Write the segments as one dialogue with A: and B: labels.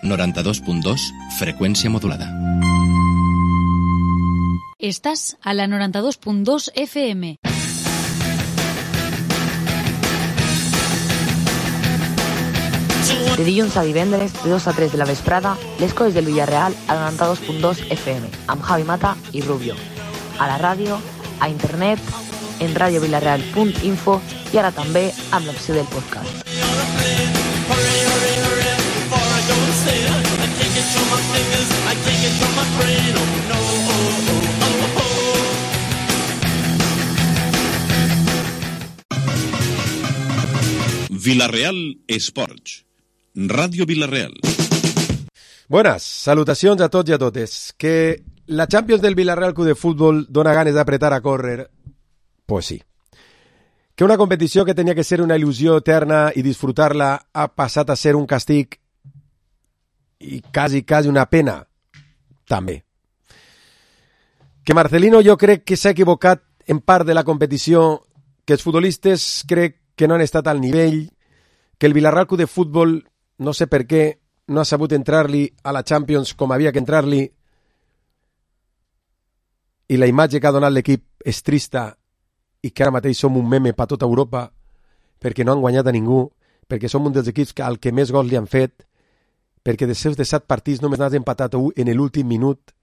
A: 92.2, freqüència modulada.
B: Estàs a la 92.2 FM.
C: De dilluns a divendres, de 2 a 3 de la vesprada, les coses del Villarreal a la 92.2 FM, amb Javi Mata i Rubio. A la ràdio, a internet, en radiovillarreal.info i ara també amb l'opció del podcast.
D: Villarreal Esports. Ràdio Villarreal.
E: Buenas, salutacions a tots i a totes. Que la Champions del Villarreal Club de Futbol dona ganes d'apretar a córrer, pues sí. Que una competició que tenia que ser una il·lusió eterna i disfrutar-la ha passat a ser un castig i quasi una pena, també. Que Marcelino jo crec que s'ha equivocat en part de la competició, que els futbolistes crec que no han estat al nivell, que el Villarreal Club de Futbol, no sé per què, no ha sabut entrar-li a la Champions com havia que entrar-li, i la imatge que ha donat l'equip és trista, i que ara mateix som un meme per tota Europa, perquè no han guanyat a ningú, perquè som un dels equips al que més gols li han fet, perquè dels seus 17 partits només n'has empatat un en l'últim minut,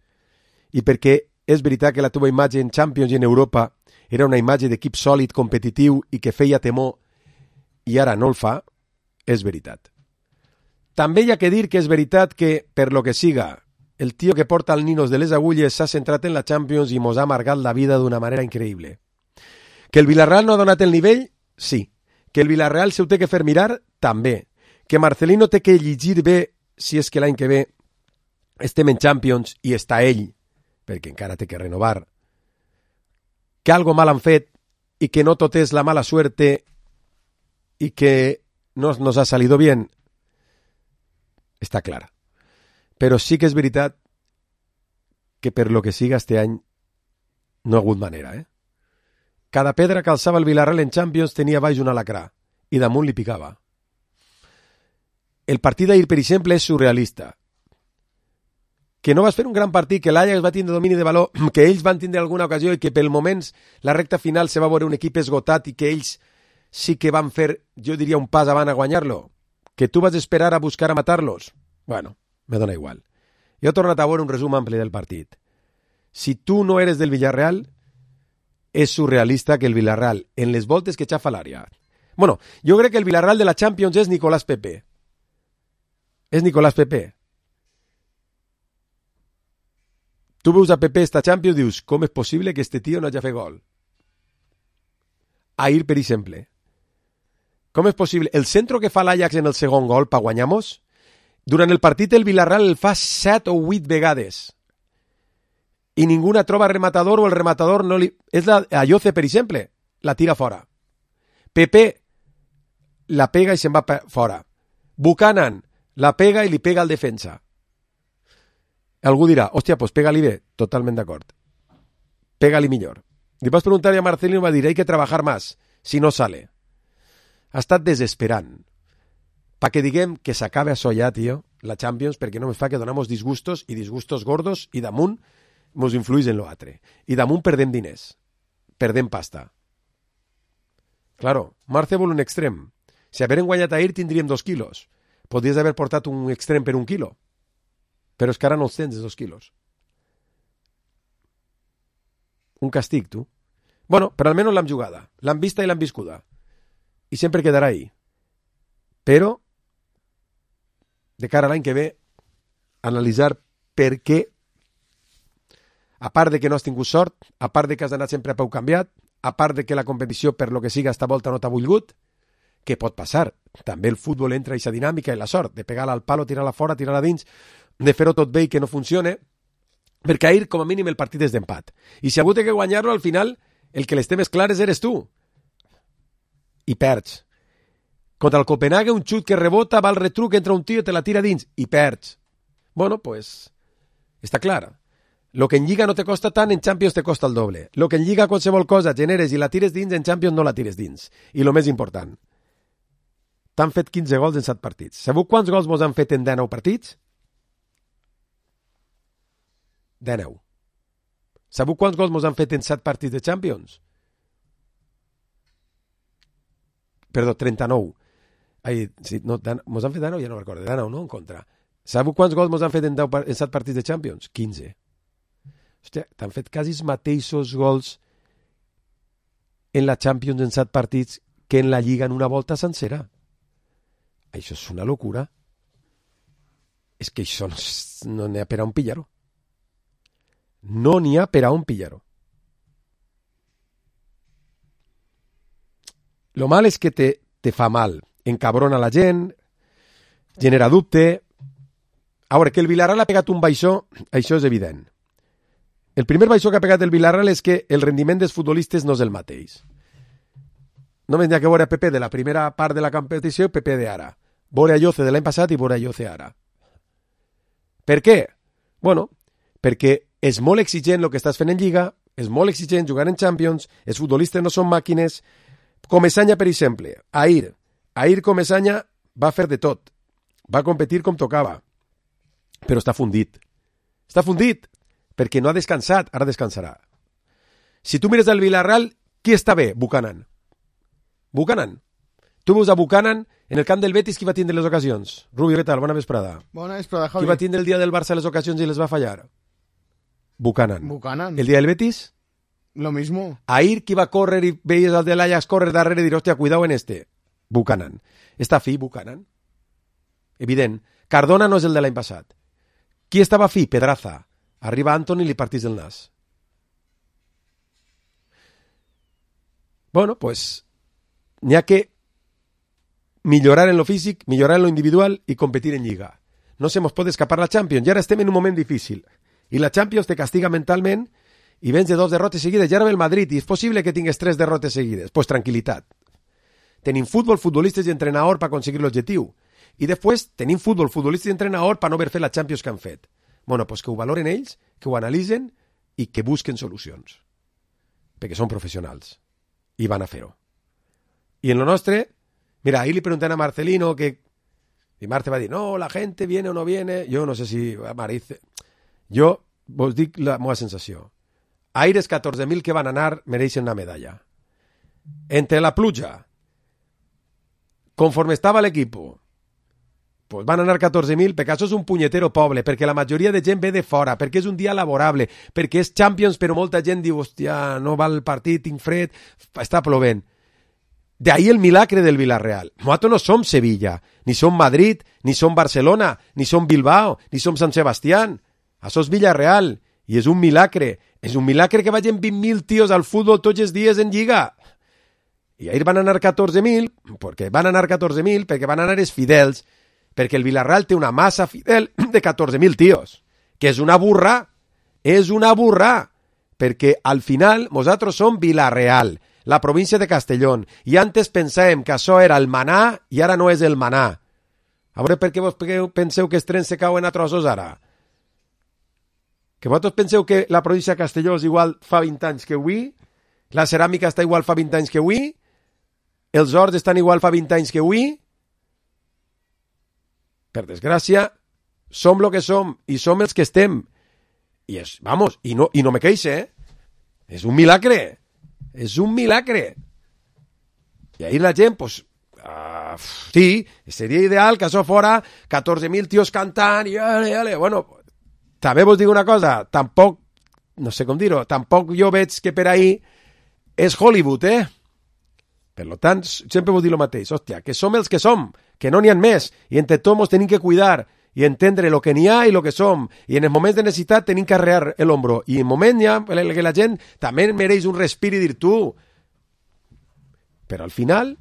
E: i perquè és veritat que la teva imatge en Champions i en Europa era una imatge d'equip sòlid, competitiu i que feia temor, i ara no el fa, és veritat. També hi ha que dir que és veritat que, per lo que siga, el tio que porta el ninos de les agulles s'ha centrat en la Champions i mos ha amargat la vida d'una manera increïble. Que el Villarreal no ha donat el nivell? Sí. Que el Villarreal se ho té que fer mirar? També. Que Marcelino té que llegir bé si és que l'any que ve estem en Champions i està ell, perquè encara té que renovar. Que algo mal han fet i que no tot és la mala suerte y que no nos ha salido bien, està clar. Però sí que és veritat que per lo que siga este any no ha hagut manera, Cada pedra que alçava el Villarreal en Champions tenia baix un alacrà i damunt li picava. El partit d'ahir, per exemple, és surrealista. Que no vas fer un gran partit, que l'Ajax va tindre domini de valor, que ells van tindre alguna ocasió i que pel moments la recta final se va veure un equip esgotat i que ells sí que van fer, jo diria, un pas avant a guanyar-lo. Que tu vas esperar a buscar a matar-los. Bueno, me dona igual. Jo he tornat a veure un resum ampli del partit. Si tu no eres del Villarreal, és surrealista que el Villarreal, en les voltes que xafa l'àrea... Bueno, jo crec que el Villarreal de la Champions és Nicolás Pepe. És Nicolás Pepe. Tu veus a Pepe esta Champions i dius, com és possible que este tio no hagi fet gol? Ahir, per exemple. Com és possible? El centro que fa l'Ajax en el segon gol per guanyar-nos, durant el partit el Villarreal el fa 7 o 8 vegades. I ningú troba rematador o el rematador no li... És la Ayoce, per exemple, la tira fora. Pepe la pega i se'n va fora. Buchanan la pega i li pega al defensa. Algú dirà, hòstia, pues pega-li bé. Totalment d'acord. Pega-li millor. Li vas preguntar a Marcelino i va dir, hay que trabajar más, si no sale. Ha estat desesperant. Pa que diguem que s'acabe això ja, tio, la Champions, perquè no me fa que donamos disgustos i disgustos gordos i damunt mos influís en lo altre. I damunt perdem diners. Perdem pasta. Claro, Marce vol un extrem. Si haguérem guanyat ahir tindríem 2 quilos. Podries haver portat un extrem per 1 quilo. Però és que ara no els tens, 2 quilos. Un castig, tu. Bueno, però almenys l'hem jugada. L'hem vista i l'hem viscuda. I sempre quedarà ahí. Però, de cara a l'any que ve, analitzar per què, a part de que no has tingut sort, a part de que has anat sempre a peu canviat, a part de que la competició, per lo que siga, esta volta no t'ha volgut, què pot passar? També el futbol entra a aquesta dinàmica i la sort, de pegar-la al palo, tirar-la fora, tirar-la dins, de fer-ho tot bé i que no funcione, perquè ahir, com a mínim, el partit és d'empat. I si ha hagut que guanyar-lo, al final, el que les temes clares eres tu. I perds. Contra el Copenhague, un xut que rebota, va al retruc, entra un tio, te la tira dins, i perds. Bueno, pues, està clar. Lo que en Lliga no te costa tant, en Champions te costa el doble. Lo que en Lliga qualsevol cosa generes i la tires dins, en Champions no la tires dins. I lo més important, t'han fet 15 gols en 7 partits. Sabeu quants gols mos han fet en 19 partits? 19. Sabeu quants gols mos han fet en 7 partits de Champions? Perdó, 39. Ai, sí, no, mos han fet 19, ja no recordo, 19, no? En contra. Sabeu quants gols mos han fet en 7 partits de Champions? 15. Hòstia, t'han fet quasi els mateixos gols en la Champions en 7 partits que en la Lliga en una volta sencera. Això és una locura. És que això no n'hi ha per a un pillar-ho. No n'hi ha per a un pillar-ho. Lo mal és que te fa mal. Encabrona la gent, genera dubte. A veure, que el Villarreal ha pegat un baixó, això és evident. El primer baixó que ha pegat el Villarreal és que el rendiment dels futbolistes no és el mateix. Només n'hi ha que veure PP de la primera part de la competició i PP d'ara. Veure Ayoce de l'any passat i veure Ayoce ara. Per què? Bueno, perquè és molt exigent el que estàs fent en Lliga, és molt exigent jugar en Champions, els futbolistes no són màquines. Comesaña, per exemple, Ahir Comesaña va fer de tot. Va competir com tocava. Però està fundit. Està fundit perquè no ha descansat, ara descansarà. Si tu mires el Villarreal, qui està bé? Buchanan. Tu veus a Buchanan en el camp del Betis, qui va tindre les ocasions? Rubio, què tal? Bona vesprada.
A: Bona vesprada, Javi.
E: Qui va tindre el dia del Barça les ocasions i les va fallar? Buchanan. El dia del Betis?
A: Lo mismo.
E: Ahir qui va córrer i veies el de l'Ajax córrer darrere i dir, hòstia, cuidao en este. Buchanan. Està fi, Buchanan? Evident. Cardona no és el de l'any passat. Qui estava fi? Pedraza. Arriba Antoni i li partís el nas. Bueno, pues n'hi ha que millorar en lo físic, millorar en lo individual i competir en Lliga. No se mos pot escapar la Champions. I ara estem en un moment difícil. I la Champions te castiga mentalment i vens de 2 derrotes seguides. Ja ara ve el Madrid i és possible que tingues 3 derrotes seguides. Pues tranquil·litat. Tenim futbol, futbolistes i entrenador per aconseguir l'objectiu. I després tenim futbol, futbolistes i entrenador per no haver fet la Champions que han fet. Bueno, pues que ho valoren ells, que ho analitzen i que busquen solucions. Perquè són professionals. I van a fer-ho. I en lo nostre, mira, ahir li preguntan a Marcelino que... I Marte va dir, no, la gente viene o no viene. Jo no sé si... Marice... Jo vos dic la meva sensació. Aires 14.000 que van anar mereixen una medalla. Entre la pluja, conforme estava l'equip, pues van anar 14.000, perquè això és un punyetero poble, perquè la majoria de gent ve de fora, perquè és un dia laborable, perquè és Champions, però molta gent diu, hòstia, no va el partit, tinc fred, està plovent. D'ahí el milagre del Villarreal. Nosaltres no som Sevilla, ni som Madrid, ni som Barcelona, ni som Bilbao, ni som Sant Sebastián. Això és Villarreal, i és un milagre. És un milagre que vagin 20.000 tios al futbol tots els dies en Lliga. I ahir van anar 14.000, perquè van anar 14.000, perquè van anar els fidels, perquè el Villarreal té una massa fidel de 14.000 tios, que és una burra, perquè al final nosaltres som Villarreal, la província de Castellón, i antes pensàvem que això era el manà i ara no és el manà. A veure per què vos penseu que els trens se cauen a trossos ara? Que vosaltres penseu que la província de Castelló és igual fa 20 anys que avui? La ceràmica està igual fa 20 anys que avui? Els horts estan igual fa 20 anys que avui? Per desgràcia, som el que som i som els que estem. I és, vamos, i no me queixe, És un milagre. És un milagre. I ahir la gent, pues, sí, seria ideal que això fora 14.000 tios cantant i ale. Bueno, també vos dic una cosa, tampoc, no sé com dir-ho, tampoc jo veig que per ahir és Hollywood, Per tant, sempre vos dic el mateix, hòstia, que som els que som, que no n'hi ha més, i entre tots ens tenim que cuidar i entendre el que n'hi ha i el que som, i en els moments de necessitat tenim que arrear l'ombro, i en moment ja que la gent també mereix un respir i dir tu, però al final,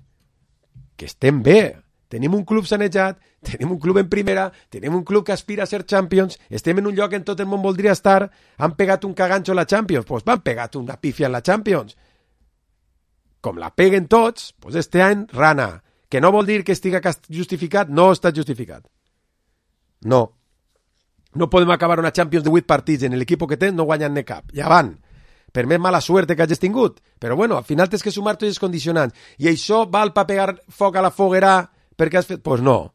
E: que estem bé, tenim un club sanejat, tenim un club en primera, tenim un club que aspira a ser Champions, estem en un lloc en tot el món voldria estar, han pegat un caganxo a la Champions, doncs van pegat una pífia en la Champions. Com la peguen tots, doncs este any rana, que no vol dir que estiga justificat, no està justificat. No. No podem acabar una Champions de 8 partits en l'equip que tens no guanyant-ne cap. Ja van. Per més mala suerte que hagis tingut. Però bueno, al final tens que sumar tots els condicionants. I això val per pegar foc a la foguera perquè has fet... Pues no.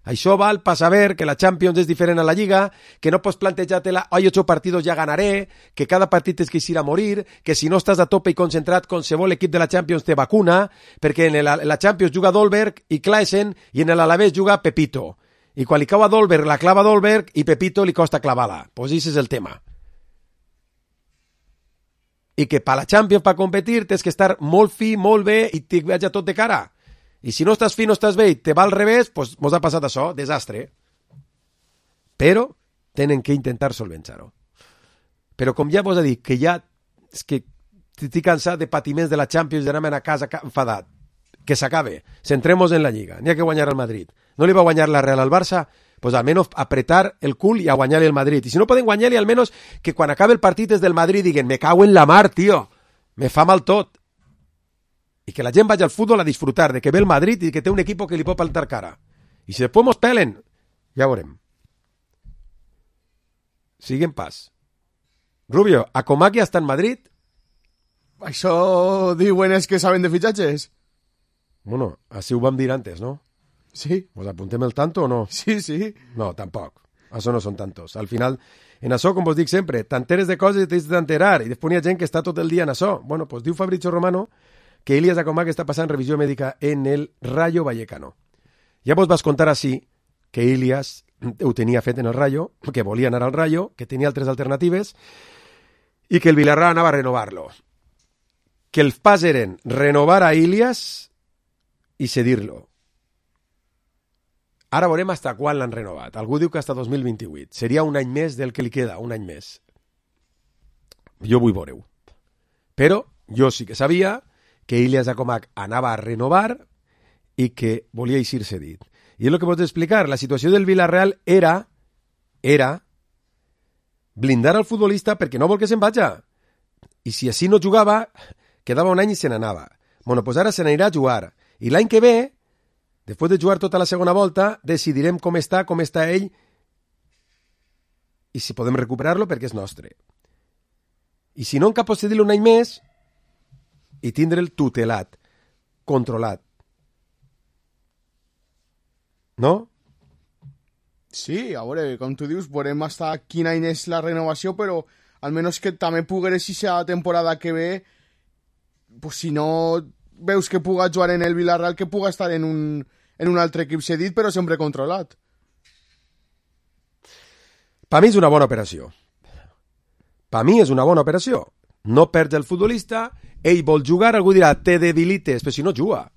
E: Això val per saber que la Champions és diferent a la Lliga, que no pots plantejar-te-la, hay 8 partidos ja ganaré, que cada partit és que ir a morir, que si no estàs a tope i concentrat, qualsevol equip de la Champions te vacuna, perquè en la Champions juga Dolberg i Klaesen i en l'Alavés juga Pepito. I quan li cau a Dolberg, la clava Dolberg i Pepito li costa clavar-la. Pues ese és el tema. I que per la Champions, per competir, tens que estar molt fi, molt bé i t'hi veig tot de cara. I si no estàs fi, no estàs bé i te va al revés, doncs mos ha passat això, desastre. Però tenen que intentar solventar-ho. Però com ja vos he dit, que ja és que estic cansat de patiments de la Champions, d'anar a casa enfadat. Que s'acabe, centremos en la Lliga. N'hi ha que guanyar al Madrid. No li va guanyar la Real al Barça, pues almenys apretar el cul i a guanyar-li el Madrid. I si no poden guanyar-li, almenys que quan acabe el partit des del Madrid diguen, me cago en la mar, tio, me fa mal tot. I que la gent vagi al futbol a disfrutar de que ve el Madrid i que té un equip que li pot plantar cara. I si després mos pelen, ja veurem. Siguen pas. Rubio, a Comac ja està en Madrid?
A: Això diuen és que saben de fitxatges.
E: Bueno, així ho vam dir antes, no?
A: Sí.
E: ¿Nos apuntem el tanto o no?
A: Sí, sí.
E: No, tampoc. Això no són tantos. Al final, en això, com vos dic sempre, t'enteres de coses i t'has d'enterar. I després hi ha gent que està tot el dia en això. Bueno, pues diu Fabrizio Romano que Ilias Akomak està passant revisió mèdica en el Rayo Vallecano. Ja vos vas contar així que Ilias ho tenia fet en el Rayo, que volia anar al Rayo, que tenia altres alternatives i que el Villarreal anava a renovar-lo. Que els pas eren renovar a Ilias i cedir-lo. Ara veurem hasta quan l'han renovat. Algú diu que hasta 2028. Seria un any més del que li queda, un any més. Jo vull veure-ho. Però jo sí que sabia que Ilias Akomak anava a renovar i que volia eixir cedit. I és el que pots explicar. La situació del Villarreal era blindar al futbolista perquè no vol que se'n vaja. I si així no jugava, quedava un any i se n'anava. Bueno, doncs ara se n'anirà a jugar. I l'any que ve, després de jugar tota la segona volta, decidirem com està ell i si podem recuperar-lo perquè és nostre. I si no, en cap pot cedir-lo un any més i tindre'l tutelat, controlat. No?
A: Sí, a veure, com tu dius, veurem hasta quin any és la renovació, però almenys que també pogués aquesta temporada que ve, pues si no veus que puga jugar en el Villarreal, que puga estar en un altre equip cedit, però sempre controlat.
E: Per mi és una bona operació. Per mi és una bona operació. No perds el futbolista, ell vol jugar, algú dirà, te debilites, però si no juga.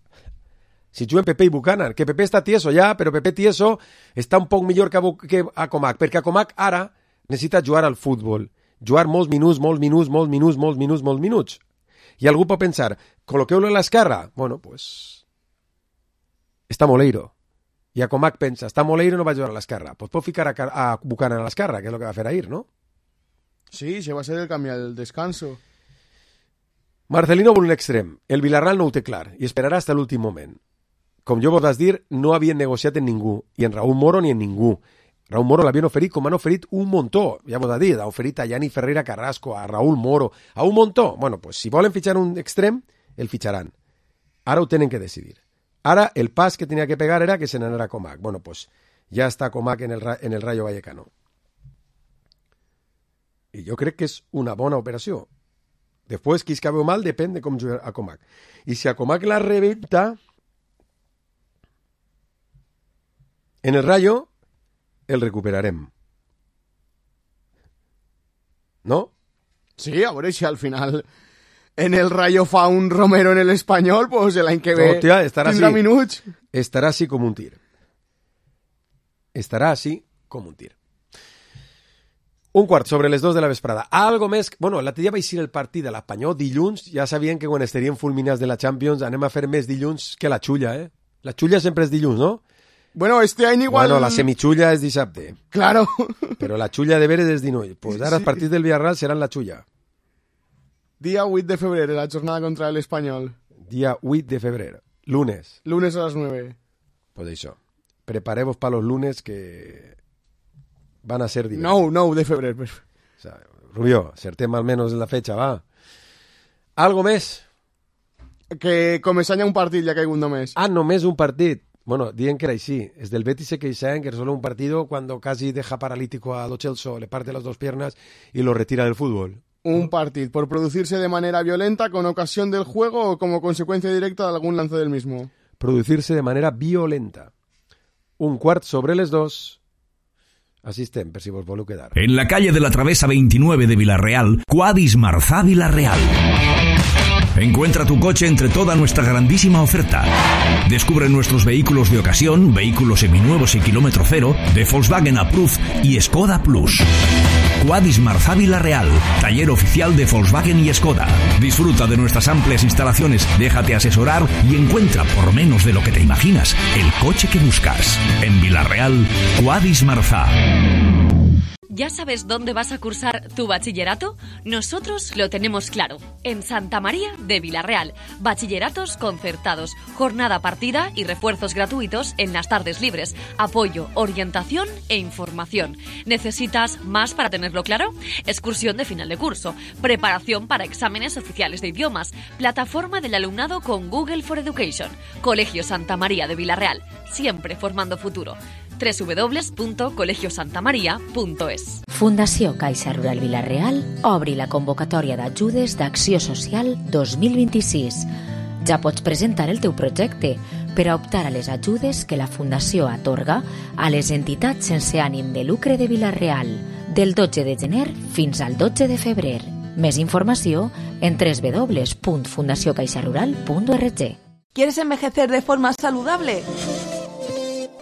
E: Si juguen Pepe i Buchanan, que Pepe està tieso ja, però Pepe tieso està un poc millor que Akomak, perquè Akomak ara necessita jugar al futbol, jugar molts minuts. I algú pot pensar, col·loqueu-lo a l'esquerra? Bueno, pues està Moleiro. I Akomak pensa, està Moleiro, no va jugar a l'esquerra. Pues pot ficar a Buchanan a l'esquerra, que és el que va fer ahir, no?
A: Sí, se va ser el canvi al descanso.
E: Marcelino vol un extrem. El Villarreal no ho té clar i esperarà fins a l'últim moment. Com jo vos vas dir, no havien negociat en ningú, i en Raúl Moro ni en ningú. Raúl Moro l'havien oferit com han oferit un muntó. Ja vos ha dit, ha oferit a Yanni Ferreira Carrasco, a Raúl Moro, a un muntó. Bueno, pues si volen fitxar un extrem, el fitxaran. Ara ho tenen que decidir. Ara el pas que tenia que pegar era que se n'anara Comac. Bueno, pues ja està Comac en el Rayo Vallecano. I jo crec que és una bona operació. Després, qui es cabe mal, depèn de com jugar a Comac. I si a Comac la rebenta, en el Rayo el recuperarem. ¿No?
A: Sí, a veure si al final en el Rayo fa un Romero en el Espanyol, pues l'any que ve tindrà minuts.
E: Estarà així com un tir. Estarà així com un tir. Un quart sobre les 2 de la vesprada. Algo més... Bueno, l'altre dia va eixir el partit de l'Espanyol dilluns. Ja sabien que quan estaríem fulminats de la Champions anem a fer més dilluns que la xulla, eh? La xulla sempre és dilluns, no?
A: Bueno, este any igual...
E: Bueno, la semichulla és dissabte.
A: Claro.
E: Però la xulla de veres és dinull. Pues ara els partits del Villarreal seran la xulla.
A: Dia 8 de febrer, la jornada contra l'Espanyol.
E: Dia 8 de febrer. Lunes.
A: Lunes a les 9.
E: Pues això. Prepareu-vos para los lunes que van a ser diversos.
A: 9 de febrer.
E: O sea, Rubio, acertem almenys en la fecha, va. Algo més?
A: Que començanya un partit ja caigut només.
E: Ah, només un partit. Bueno, digan que era así. Es del Betis se queixaban que es solo un partido cuando casi deja paralítico a Lo Celso, le parte las dos piernas y lo retira del fútbol.
A: Un partido por producirse de manera violenta con ocasión del juego o como consecuencia directa de algún lance del mismo.
E: Producirse de manera violenta. 1/4 Asisten, per si vos voleu quedar.
F: En la calle de la Travesa 29 de Villarreal, Quadis Marzá Villarreal. Encuentra tu coche entre toda nuestra grandísima oferta. Descubre nuestros vehículos de ocasión, vehículos seminuevos y kilómetro cero, de Volkswagen Approved y Skoda Plus. Quadis Marzá Villarreal, taller oficial de Volkswagen y Skoda. Disfruta de nuestras amplias instalaciones, déjate asesorar y encuentra, por menos de lo que te imaginas, el coche que buscas. En Villarreal, Quadis Marzá.
G: ¿Ya sabes dónde vas a cursar tu bachillerato? Nosotros lo tenemos claro. En Santa María de Villarreal. Bachilleratos concertados, jornada partida y refuerzos gratuitos en las tardes libres. Apoyo, orientación e información. ¿Necesitas más para tenerlo claro? Excursión de final de curso. Preparación para exámenes oficiales de idiomas. Plataforma del alumnado con Google for Education. Colegio Santa María de Villarreal. Siempre formando futuro. www.colegiosantamaria.es.
H: Fundació Caixa Rural Vila-real obri la convocatòria d'ajudes d'Acció Social 2026. Ja pots presentar el teu projecte per a optar a les ajudes que la Fundació atorga a les entitats sense ànim de lucre de Vila-real del 12 de gener fins al 12 de febrer. Més informació en www.fundaciocaixarural.org.
I: ¿Quieres envejecer de forma saludable?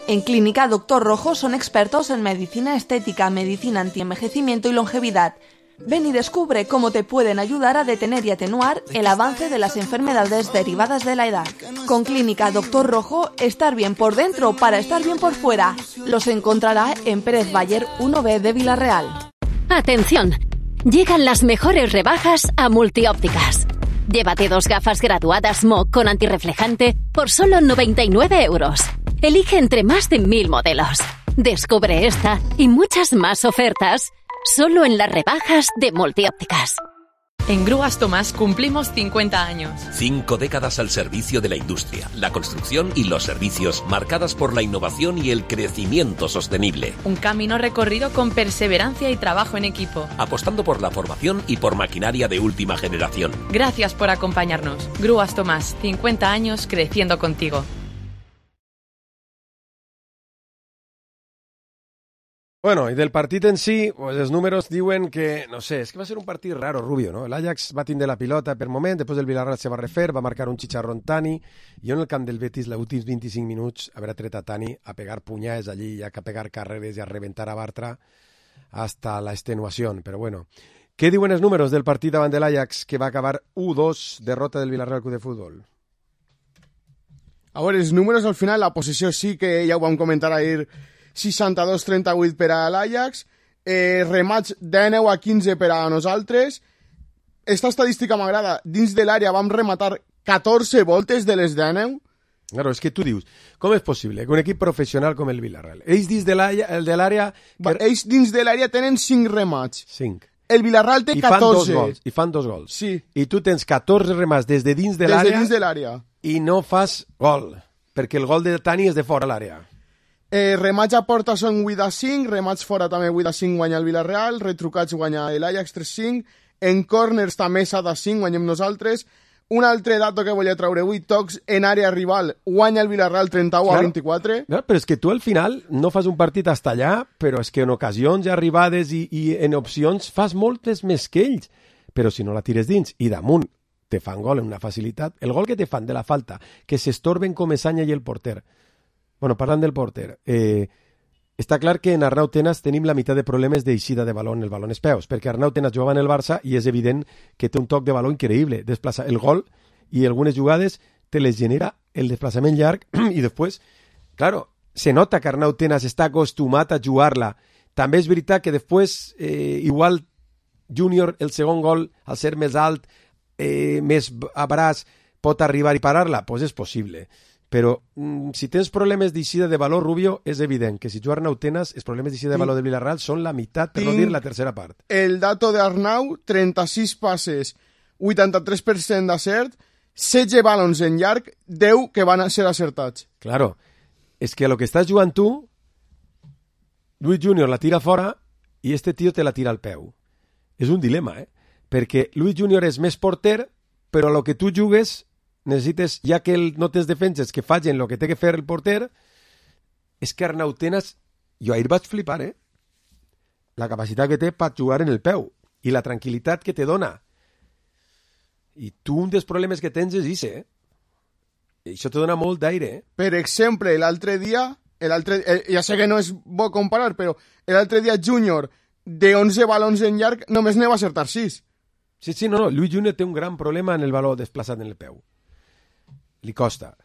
I: En Clínica Dr. Rojo son expertos en medicina estética, medicina antienvejecimiento y longevidad. Ven y descubre cómo te pueden ayudar a detener y atenuar el avance de las enfermedades derivadas de la edad. Con Clínica Dr. Rojo, estar bien por dentro para estar bien por fuera. Los encontrará en Pérez Bayer 1B de Villarreal.
J: ¡Atención! Llegan las mejores rebajas a Multiópticas. Llévate 2 gafas graduadas MOC con antirreflejante por solo 99 euros. Elige entre más de 1000 modelos. Descubre esta y muchas más ofertas solo en las rebajas de Multiópticas.
K: En Grúas Tomás cumplimos 50 años.
L: 5 décadas al servicio de la industria, la construcción y los servicios, marcadas por la innovación y el crecimiento sostenible.
K: Un camino recorrido con perseverancia y trabajo en equipo.
L: Apostando por la formación y por maquinaria de última generación.
K: Gracias por acompañarnos. Grúas Tomás, 50 años creciendo contigo.
E: Bueno, y del partit en si, pues els números diuen que, no sé, és que va ser un partit raro, Rubio, no? L'Ajax va tindre la pilota per moment, després el Villarreal se va refer, va marcar un chicharrón Tani, i en el camp del Betis, els últims 25 minuts, haver tret a Tani a pegar punyades allí, a pegar carreres i a reventar a Bartra hasta la extenuación. Però bueno, què diuen els números del partit davant de l'Ajax, que va acabar 1-2, derrota del Villarreal Club de Futbol?
A: A veure, els números al final, la possessió sí que ja ho vam comentar ahir, 62-38 per a l'Ajax, remats de 9-15 per a nosaltres. Esta estadística m'agrada. Dins de l'àrea vam rematar 14 voltes de les de 9.
E: Claro, és que tu dius, com és possible que un equip professional com el Villarreal, ells dins de l'àrea...
A: Ells dins de l'àrea tenen 5 remats.
E: 5.
A: El Villarreal té 14.
E: I fan 2 gols.
A: Sí.
E: I tu tens 14 remats des de dins de l'àrea...
A: Des de dins de l'àrea.
E: I no fas gol, perquè el gol de Tani és de fora l'àrea.
A: Remats a porta són 8-5, remats fora també 8-5 guanya el Villarreal, retrucats guanya l'Ajax 3-5, en corners també 7-5 guanyem nosaltres. Un altre dato que volia treure avui, tocs en àrea rival, guanya el Villarreal 31-24.
E: Claro, però és que tu al final no fas un partit hasta allà, però és que en ocasions i arribades i en opcions fas moltes més que ells, però si no la tires dins i damunt te fan gol amb una facilitat, el gol que te fan de la falta, que s'estorben com Esanya i el porter. Bueno, parlant del porter, està clar que en Arnau Tenas tenim la meitat de problemes d'eixida de baló en el baló en els peus, perquè Arnau Tenas jugava en el Barça i és evident que té un toc de baló increïble, desplaça el gol i algunes jugades te les genera el desplaçament llarg i després, claro, se nota que Arnau Tenas està acostumat a jugar-la. També és veritat que després, igual Júnior, el segon gol, al ser més alt, més a braç, pot arribar i parar-la? Doncs és possible. Però si tens problemes d'eixida de valor, Rubio, és evident que si juga Arnau Tenas, els problemes d'eixida de valor de Villarreal són la meitat, per no dir la tercera part.
A: El dato d'Arnau, 36 passes, 83% d'acert, 16 balons en llarg, 10 que van ser acertats.
E: Claro, és que a lo que estàs jugant tu, Luis Junior la tira fora i este tio te la tira al peu. És un dilema, perquè Luis Junior és més porter, però a lo que tu jugues necessites, ja que no tens defenses que facin el que té que fer el porter, és que Arnau Tenas, jo ahir vaig flipar, la capacitat que té per jugar en el peu i la tranquil·litat que te dona. I tu un dels problemes que tens és ese, I això te dona molt d'aire,
A: Per exemple, l'altre dia, ja sé que no és bo comparar, però l'altre dia Junior, de 11 balons en llarg, només ne va acertar 6.
E: Sí, no, Luis Junior té un gran problema en el baló desplaçat en el peu. Li costa.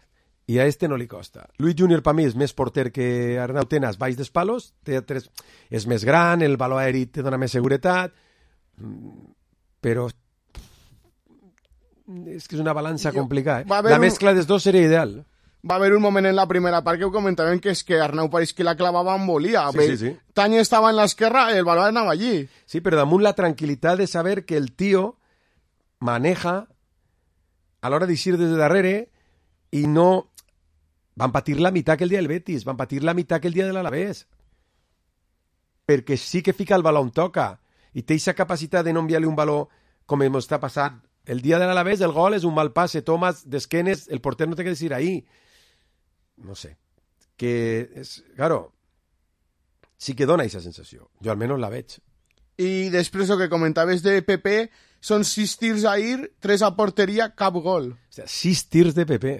E: I a este no li costa. Luis Junior, per mi, és més porter que Arnau Tenas baix dels palos, és més gran, el baló aeri te dona més seguretat, però és que és una balança complicada. La mescla dels dos seria ideal.
A: Va haver un moment en la primera part que ho comentaven que és que Arnau pareix que la clavava en volia.
E: Sí.
A: Tanya estava en l'esquerra i el baló anava allí.
E: Sí, però damunt la tranquil·litat de saber que el tio maneja a l'hora d'eixir des de darrere i no... Van patir la meitat que el dia del Betis, van patir la meitat que el dia de l'Alavés. Perquè sí que fica el baló on toca i té aquesta capacitat de no enviar-li un baló com ens està passant. El dia de l'Alavés el gol és un mal passe, Tomàs d'esquenes, el porter no té que dir ahí. No sé. Que és, claro, sí que dona aquesta sensació. Jo almenys la veig.
A: I després el que comentaves de PP, són 6 tirs ahir, 3 a porteria, cap gol.
E: O sigui, 6 tirs de PP.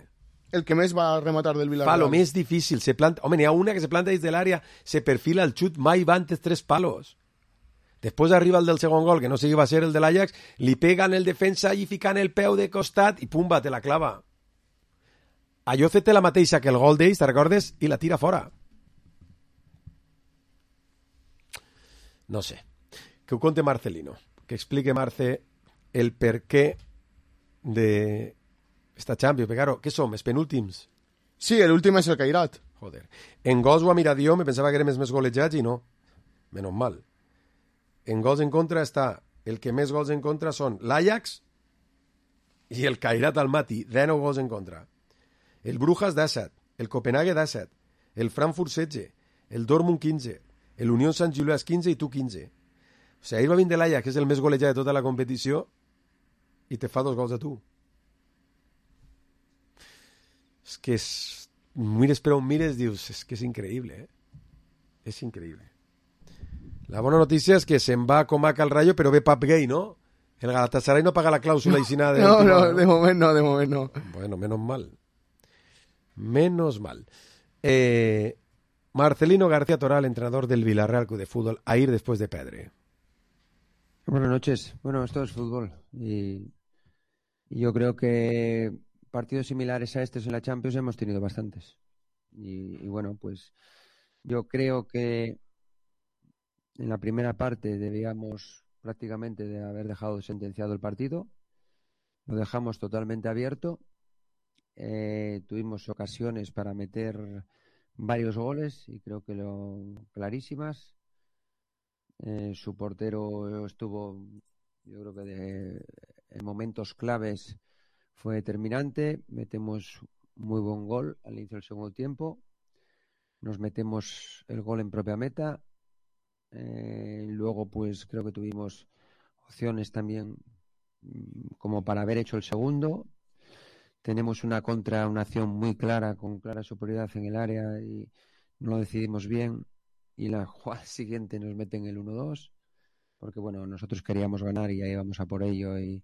A: El que més va rematar del Villarreal.
E: Fa lo més difícil. Home, n'hi ha una que se planta des de l'àrea, se perfila el xut, mai va antes 3 palos. Després arriba el del segon gol, que no sé si va ser el de l'Ajax, li pega en el defensa i ficant el peu de costat i pumba, te la clava. Ayoce té la mateixa que el gol d'ells, te recordes? I la tira fora. No sé. Que ho conte Marcelino. Que explique Marce el per què de esta Champions. Però, claro, què som? Els penúltims?
A: Sí, l'últim és el Cairat.
E: Joder. En gols ho ha mirat jo, me pensava que érem els més golejats i no. Menos mal. En gols en contra està... El que més gols en contra són l'Ajax i el Cairat Almaty. 19 gols en contra. El Brujas 17, el Copenhague 17, el Frankfurt 16, el Dortmund 15, el Unión Sant Gilloise 15 i tu 15. O sigui, ahir va vindre l'Ajax, que és el més golejat de tota la competició, i te fa 2 gols a tu. És que és... Mires per on mires, dius, és que és increïble, És increïble. La bona notícia és que se'n va com a Cal Rayo, però ve Pap Gay, no? El Galatasaray no paga la clàusula aixina de...
A: No, de moment no.
E: Bueno, menos mal. Menos mal. Marcelino García Toral, entrenador del Villarreal Club de Fútbol, a ir después de Pedre.
M: Buenas noches. Bueno, esto es fútbol y yo creo que partidos similares a estos en la Champions hemos tenido bastantes. Y bueno, pues yo creo que en la primera parte debíamos prácticamente de haber dejado sentenciado el partido. Lo dejamos totalmente abierto. Tuvimos ocasiones para meter varios goles y creo que clarísimas. Su portero estuvo, yo creo que en momentos claves fue determinante. Metemos muy buen gol al inicio del segundo tiempo. Nos metemos el gol en propia meta. Luego pues creo que tuvimos opciones también como para haber hecho el segundo. Tenemos una acción muy clara, con clara superioridad en el área y no lo decidimos bien. Y la jugada siguiente nos meten el 1-2, porque bueno, nosotros queríamos ganar y ahí íbamos a por ello. Y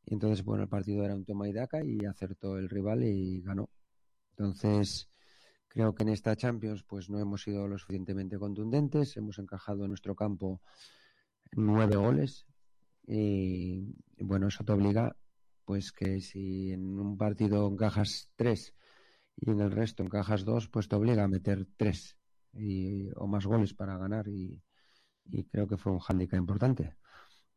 M: entonces, bueno, el partido era un toma y daca y acertó el rival y ganó. Entonces, creo que en esta Champions pues no hemos sido lo suficientemente contundentes. Hemos encajado en nuestro campo 9 goles. Y bueno, eso te obliga... pues que si en un partido encajas 3 y en el resto encajas 2, pues te obliga a meter 3 o más goles para ganar y creo que fue un hándicap importante.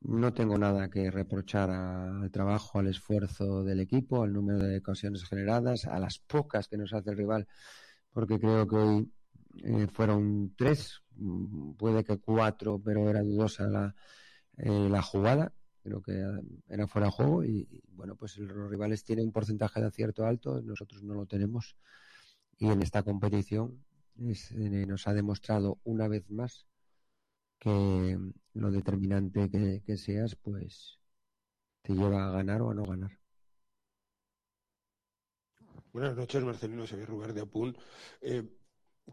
M: No tengo nada que reprochar al trabajo, al esfuerzo del equipo, al número de ocasiones generadas, a las pocas que nos hace el rival, porque creo que hoy fueron 3, puede que 4, pero era dudosa la jugada. Creo que era fuera de juego y bueno, pues los rivales tienen un porcentaje de acierto alto, nosotros no lo tenemos y en esta competición nos ha demostrado una vez más que lo determinante que seas, pues te lleva a ganar o a no ganar.
N: Buenas noches, Marcelino, Xavier Ruber de Apunt.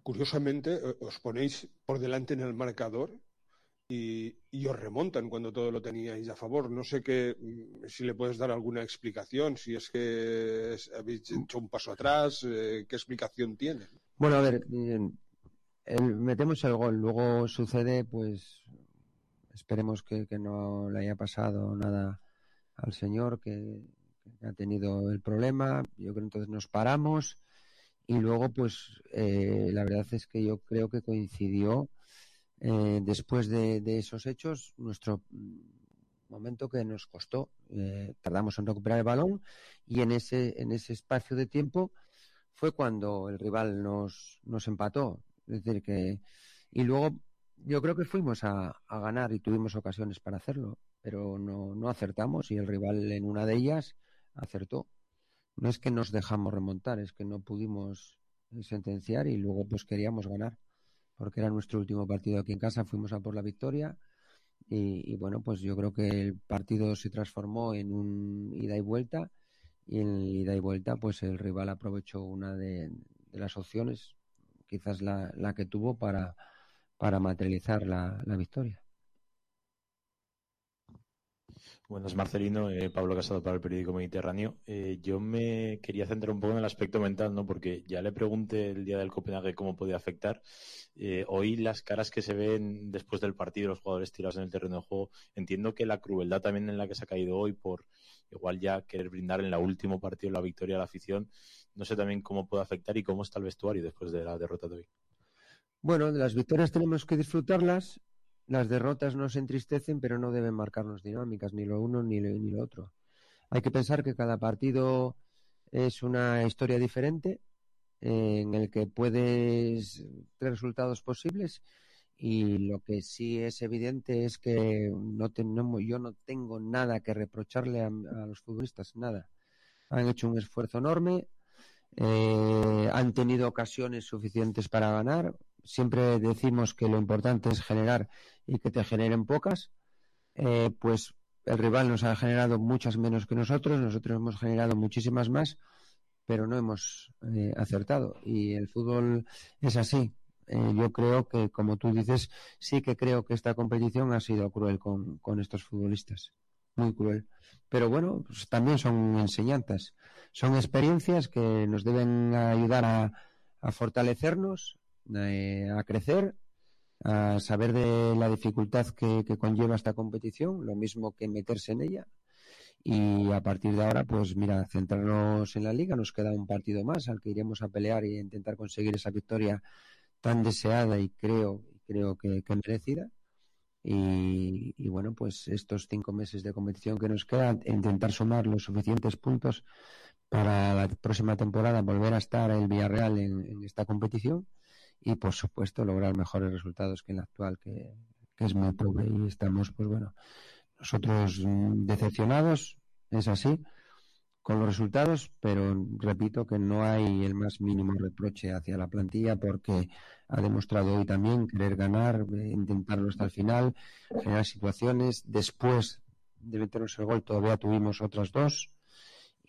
N: Curiosamente, os ponéis por delante en el marcador y os remontan cuando todo lo teníais a favor. No sé si le puedes dar alguna explicación, si es que habéis hecho un paso atrás, ¿qué explicación tiene?
M: Bueno, a ver, metemos el gol, luego sucede, pues esperemos que no le haya pasado nada al señor que ha tenido el problema. Yo creo que entonces nos paramos y luego pues la verdad es que yo creo que coincidió después de esos hechos nuestro momento que nos costó. Tardamos en recuperar el balón y en ese espacio de tiempo fue cuando el rival nos empató. Es decir que y luego yo creo que fuimos a ganar y tuvimos ocasiones para hacerlo, pero no acertamos y el rival en una de ellas acertó. No es que nos dejamos remontar, es que no pudimos sentenciar y luego pues queríamos ganar, porque era nuestro último partido aquí en casa, fuimos a por la victoria y bueno, pues yo creo que el partido se transformó en un ida y vuelta y en el ida y vuelta pues el rival aprovechó una de las opciones, quizás la que tuvo para materializar la victoria.
O: Buenas, Marcelino, Pablo Casado para el periódico Mediterráneo. Yo me quería centrar un poco en el aspecto mental, ¿no? Porque ya le pregunté el día del Copenhague cómo podía afectar. Hoy las caras que se ven después del partido, los jugadores tirados en el terreno de juego, entiendo que la crueldad también en la que se ha caído hoy por igual ya querer brindar en el último partido la victoria a la afición, no sé también cómo puede afectar y cómo está el vestuario después de la derrota de hoy.
M: Bueno, de las victorias tenemos que disfrutarlas. Las derrotas nos entristecen, pero no deben marcarnos dinámicas, ni lo uno ni lo otro. Hay que pensar que cada partido es una historia diferente, en el que puedes tres resultados posibles, y lo que sí es evidente es que yo no tengo nada que reprocharle a los futbolistas, nada. Han hecho un esfuerzo enorme, han tenido ocasiones suficientes para ganar. Siempre decimos que lo importante es generar y que te generen pocas. Pues el rival nos ha generado muchas menos que nosotros hemos generado muchísimas más, pero no hemos acertado. Y el fútbol es así. Yo creo que, como tú dices, sí que creo que esta competición ha sido cruel con estos futbolistas. Muy cruel. Pero bueno, pues también son enseñanzas. Son experiencias que nos deben ayudar a fortalecernos, a crecer, a saber de la dificultad que conlleva esta competición, lo mismo que meterse en ella. Y a partir de ahora, pues mira, centrarnos en la Liga. Nos queda un partido más al que iremos a pelear y a intentar conseguir esa victoria tan deseada y creo que merecida. Y bueno, pues estos 5 meses de competición que nos quedan, intentar sumar los suficientes puntos para la próxima temporada, volver a estar el Villarreal en esta competición y por supuesto lograr mejores resultados que en la actual, que es muy pobre. Y estamos, pues bueno, nosotros decepcionados, es así, con los resultados, pero repito que no hay el más mínimo reproche hacia la plantilla, porque ha demostrado hoy también querer ganar, intentarlo hasta el final, generar situaciones. Después de meternos el gol todavía tuvimos otras 2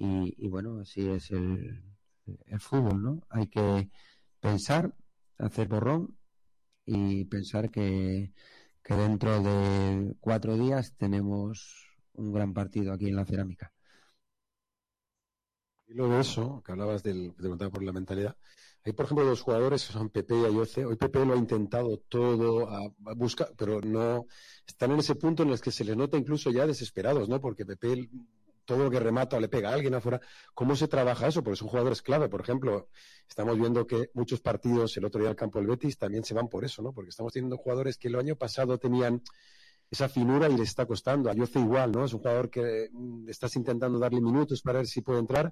M: y bueno, así es el fútbol, ¿no? Hay que pensar, hacer borrón y pensar que dentro de 4 días tenemos un gran partido aquí en la Cerámica.
E: Y luego de eso, que hablabas te preguntaba por la mentalidad, hay por ejemplo 2 jugadores que son Pepe y Ayoce. Hoy Pepe lo ha intentado todo, a buscar, pero no, están en ese punto en el que se les nota incluso ya desesperados, ¿no? Porque Pepe todo lo que remata o le pega a alguien afuera. ¿Cómo se trabaja eso? Porque son jugadores clave. Por ejemplo, estamos viendo que muchos partidos, el otro día al campo del Betis, también se van por eso, ¿no? Porque estamos teniendo jugadores que el año pasado tenían esa finura y les está costando. Ayoce igual, ¿no? Es un jugador que estás intentando darle minutos para ver si puede entrar.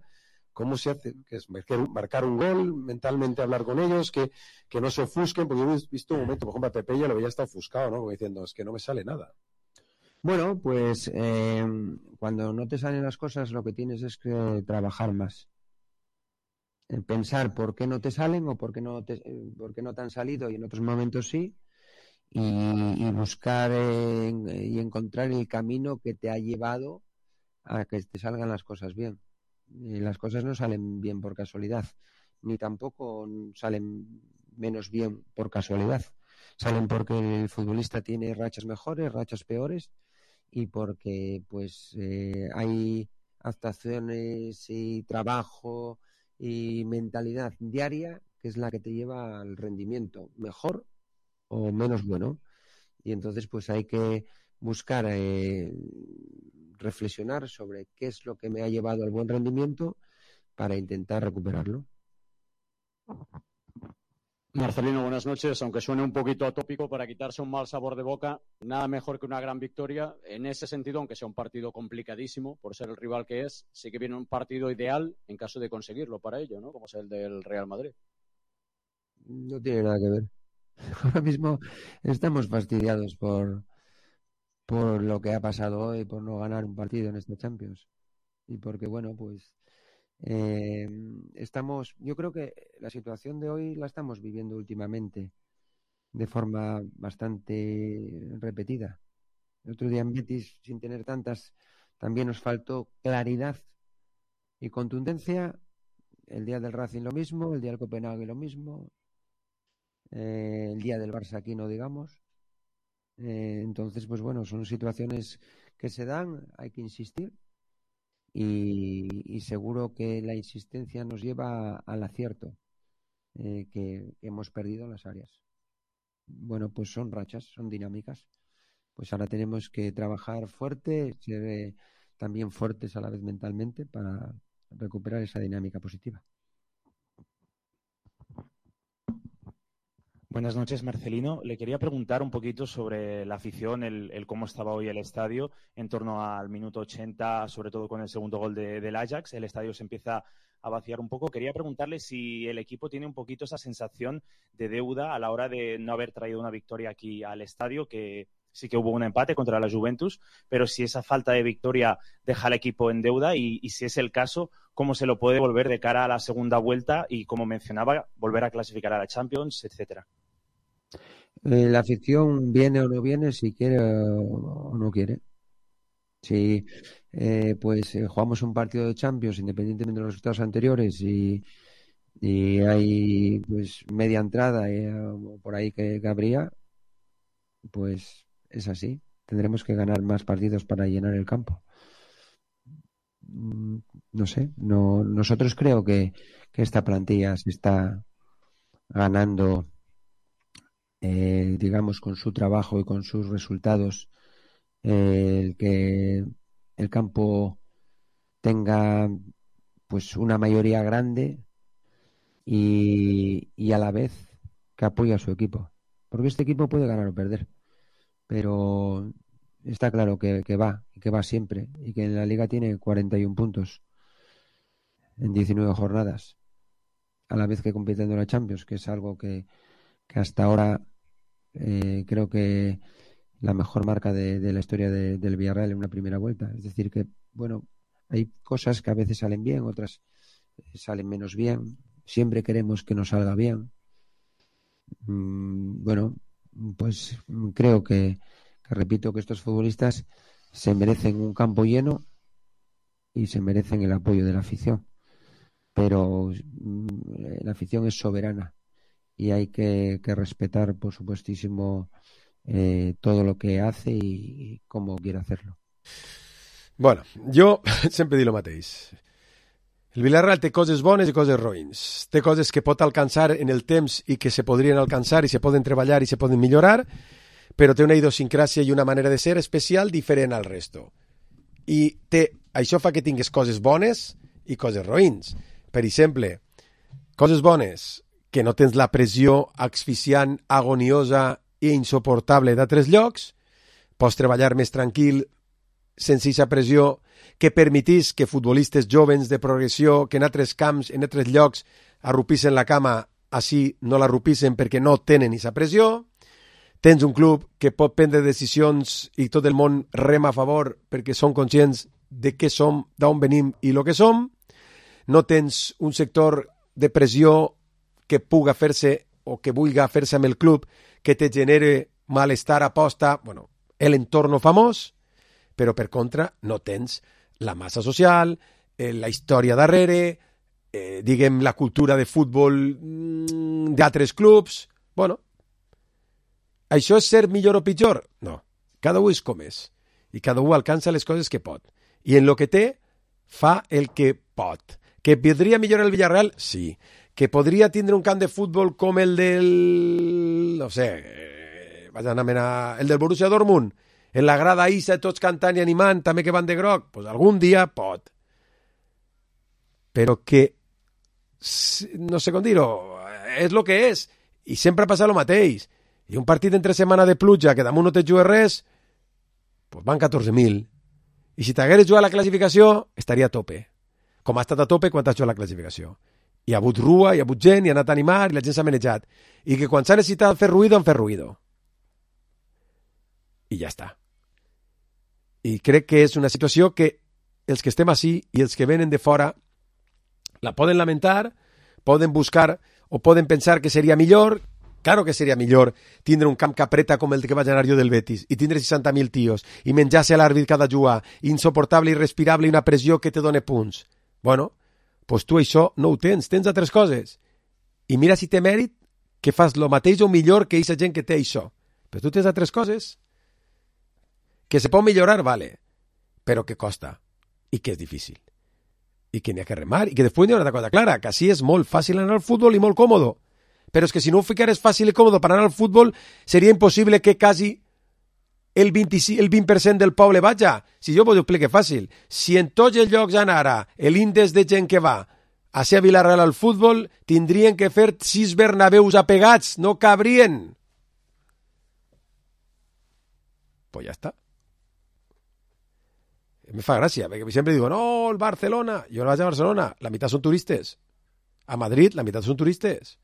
E: ¿Cómo se hace? Que es marcar un gol, mentalmente hablar con ellos, que no se ofusquen, porque yo he visto un momento, por ejemplo, a Pepe ya lo veía hasta ofuscado, ¿no? Como diciendo, es que no me sale nada.
M: Bueno, pues cuando no te salen las cosas, lo que tienes es que trabajar más. pensar por qué no te salen o por qué no te han salido y en otros momentos sí, y buscar y encontrar el camino que te ha llevado a que te salgan las cosas bien. Y las cosas no salen bien por casualidad, ni tampoco salen menos bien por casualidad. Salen porque el futbolista tiene rachas mejores, rachas peores, y porque pues hay actuaciones y trabajo y mentalidad diaria que es la que te lleva al rendimiento mejor o menos bueno. Y entonces pues hay que buscar reflexionar sobre qué es lo que me ha llevado al buen rendimiento para intentar recuperarlo.
P: Marcelino, buenas noches. Aunque suene un poquito atópico, para quitarse un mal sabor de boca, nada mejor que una gran victoria. En ese sentido, aunque sea un partido complicadísimo por ser el rival que es, sí que viene un partido ideal en caso de conseguirlo para ello, ¿no? Como es el del Real Madrid.
M: No tiene nada que ver. Ahora mismo estamos fastidiados por lo que ha pasado hoy, por no ganar un partido en esta Champions. Y porque, bueno, pues yo creo que la situación de hoy la estamos viviendo últimamente de forma bastante repetida. El otro día en Betis, sin tener tantas, también nos faltó claridad y contundencia. El día del Racing lo mismo, el día del Copenhague lo mismo, el día del Barça aquí no digamos. Entonces, pues bueno, son situaciones que se dan, hay que insistir. Y seguro que la insistencia nos lleva al acierto que hemos perdido en las áreas. Bueno, pues son rachas, son dinámicas. Pues ahora tenemos que trabajar fuerte, ser también fuertes a la vez mentalmente para recuperar esa dinámica positiva.
O: Buenas noches, Marcelino. Le quería preguntar un poquito sobre la afición, el cómo estaba hoy el estadio en torno al minuto 80, sobre todo con el segundo gol del Ajax. El estadio se empieza a vaciar un poco. Quería preguntarle si el equipo tiene un poquito esa sensación de deuda a la hora de no haber traído una victoria aquí al estadio, que sí que hubo un empate contra la Juventus, pero si esa falta de victoria deja al equipo en deuda y si es el caso, ¿cómo se lo puede volver de cara a la segunda vuelta y, como mencionaba, volver a clasificar a la Champions, etcétera?
M: La afición viene o no viene, si quiere o no quiere. Si jugamos un partido de Champions, independientemente de los resultados anteriores, y hay pues media entrada por ahí que habría, pues es así. Tendremos que ganar más partidos para llenar el campo. No sé, nosotros creo que esta plantilla se está ganando, digamos, con su trabajo y con sus resultados, el que el campo tenga pues una mayoría grande y a la vez que apoye a su equipo, porque este equipo puede ganar o perder, pero está claro que va siempre, y que en la liga tiene 41 puntos en 19 jornadas, a la vez que compitiendo en la Champions, que es algo que hasta ahora creo que la mejor marca de la historia del Villarreal en una primera vuelta. Es decir que, bueno, hay cosas que a veces salen bien, otras salen menos bien. Siempre queremos que nos salga bien. Bueno, pues creo que repito que estos futbolistas se merecen un campo lleno y se merecen el apoyo de la afición. Pero la afición es soberana y hay que respetar, por supuestísimo, todo lo que hace i com quiere hacerlo.
E: Bueno, jo sempre dic el mateix. El Villarreal té coses bones i coses roïns. Té coses que pot alcançar en el temps i que se podrien alcançar i se poden treballar i se poden millorar, però té una idiosincràsia i una manera de ser especial diferent al resto. I això fa que tingues coses bones i coses roïns. Per exemple, coses bones, que no tens la pressió asfixiant, agoniosa i insuportable d'altres llocs, pots treballar més tranquil, sense aquesta pressió, que permetís que futbolistes jovens de progressió, que en altres camps, en altres llocs, arrupissen la cama, així no l'arrupissen perquè no tenen aquesta pressió. Tens un club que pot prendre decisions i tot el món rema a favor perquè són conscients de què som, d'on venim i el que som. No tens un sector de pressió que puga fer-se o que vulga fer-se amb el club, que te genere malestar, aposta, bueno, l'entorn famós, però per contra no tens la massa social, la història darrere, diguem, la cultura de futbol d'altres clubs. Bueno, això és ser millor o pitjor? No, cada un és com és, i cada un alcança les coses que pot, i en lo que té, fa el que pot. Que podria millorar el Villarreal? Sí. Que podria tindre un camp de futbol com el del... no sé, vaig anar a el del Borussia Dortmund, en la grada Isa, tots cantant i animant, també que van de groc, pues algun dia pot. Però que, no sé com dir-ho, és el que és, i sempre passa el mateix. I un partit entre setmana de pluja, que damunt no te jugues res, pues van 14.000. I si t'hagueres jugat la classificació, estaria a tope. Com ha estat a tope quan t'has jugat la classificació. Hi ha hagut rua, hi ha hagut gent, hi ha anat a animar, i la gent s'ha manejat. I que quan s'ha necessitat fer ruïdo, han fet ruïdo. I ja està. I crec que és una situació que els que estem així i els que venen de fora la poden lamentar, poden buscar o poden pensar que seria millor. Claro que seria millor tindre un camp que apreta com el que vaig anar jo del Betis i tindre 60.000 tios i menjar-se a l'àrbit cada jugar, insoportable, irrespirable i una pressió que te dona punts. Bueno, pues tu això no ho tens altres coses. I mira si té mèrit que fas el mateix o millor que aquesta gent que té això. Però tu tens altres coses que se pot millorar, vale, però que costa i que és difícil. I que n'hi ha que remar i que després n'hi ha una cosa clara, que així és molt fàcil anar al futbol i molt còmodo. Però és que si no ho ficares fàcil i còmode per anar al futbol, seria impossible que quasi el 20% del poble vaja. Si jo ho explico fàcil, si en tots els llocs anara l'índex de gent que va a ser a Vilareal al futbol, tindrien que fer 6 Bernabeus apegats, no cabrien. Pues ja està. Me fa gràcia, perquè sempre digo, no, el Barcelona. Jo no vaig a Barcelona, la meitat són turistes. A Madrid, la meitat són turistes.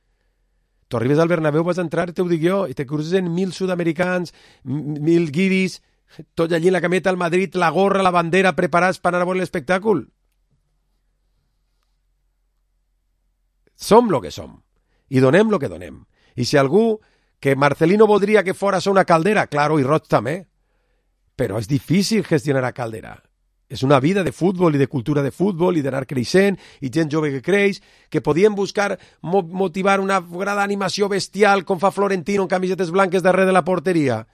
E: Tu arribes al Bernabéu, vas entrar, te ho dic jo, i te cruces en 1.000 sud-americans, 1.000 guiris, tots allí en la cameta al Madrid, la gorra, la bandera, preparats per anar a veure l'espectacle. Som lo que som, i donem lo que donem. I si algú, que Marcelino voldria que fora una caldera, claro, i Roig també, però és difícil gestionar a caldera. És una vida de futbol i de cultura de futbol i d'anar creixent i gent jove que creix, que podien buscar motivar una gran animació bestial com fa Florentino en camisetes blanques darrere de la porteria.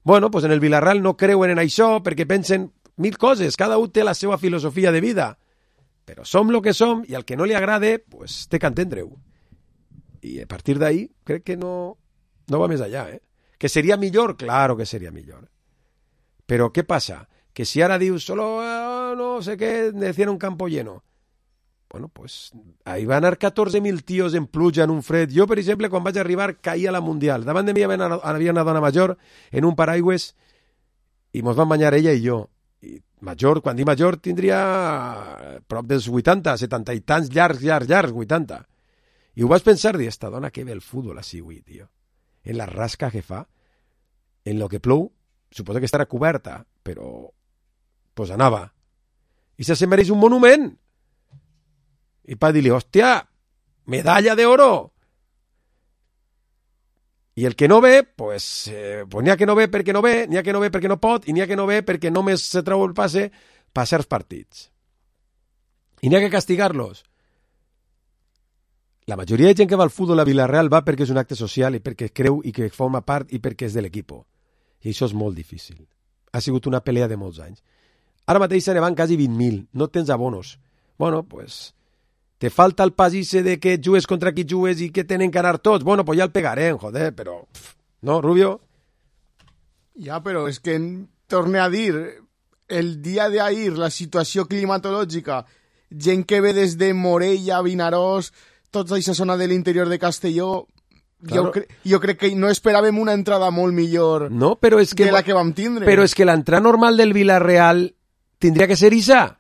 E: Bueno, pues en el Villarreal no creuen en això perquè pensen 1.000 coses, cada un té la seva filosofia de vida. Però som lo que som i al que no li agrade, pues té que entendre-ho. I a partir d'ahí crec que no va més allà, ¿eh? Que seria millor? Claro que seria millor. Però què passa? Que si ara dius solo, no sé què, decían un campo lleno. Bueno, pues ahí van a anar 14.000 tios en pluja, en un fred. Jo, per exemple, quan vaig arribar, caía la Mundial. Davant de mi havia una dona major en un paraigües i mos van banyar ella i jo. I major, quan dic major, tindria prop dels 80, 70 i tants llargs, 80. I ho vaig pensar, dir, esta dona que ve el futbol així, avui, tio. En la rasca que fa, en lo que plou, suposo que estarà coberta, però pues anava. I se mereix un monument. I pa dir-li, hòstia, medalla d'oro. I el que no ve, pues n'hi ha que no ve perquè no ve, n'hi ha que no ve perquè no pot, i n'hi ha que no ve perquè només se treu el passe per certs partits. I n'hi ha que castigar-los. La majoria de gent que va al futbol a Vilareal va perquè és un acte social i perquè creu i que forma part i perquè és de l'equip. I això és molt difícil. Ha sigut una pelea de molts anys. Ara mateix se ne van quasi 20.000. No tens abonos. Bueno, pues te falta el pasisse de que jugues contra qui jugues i que tenen que anar tots. Bueno, pues ja el pegarem, joder, però... ¿No, Rubio?
A: Ja, però és que torne a dir, el dia d'ahir, la situació climatològica, gent que ve des de Morella, Vinaròs, tota aquesta zona de l'interior de Castelló... Claro. Jo crec que no esperàvem una entrada molt millor que la que vam tindre.
E: Però és que l'entrada normal del Villarreal tindria que ser isa.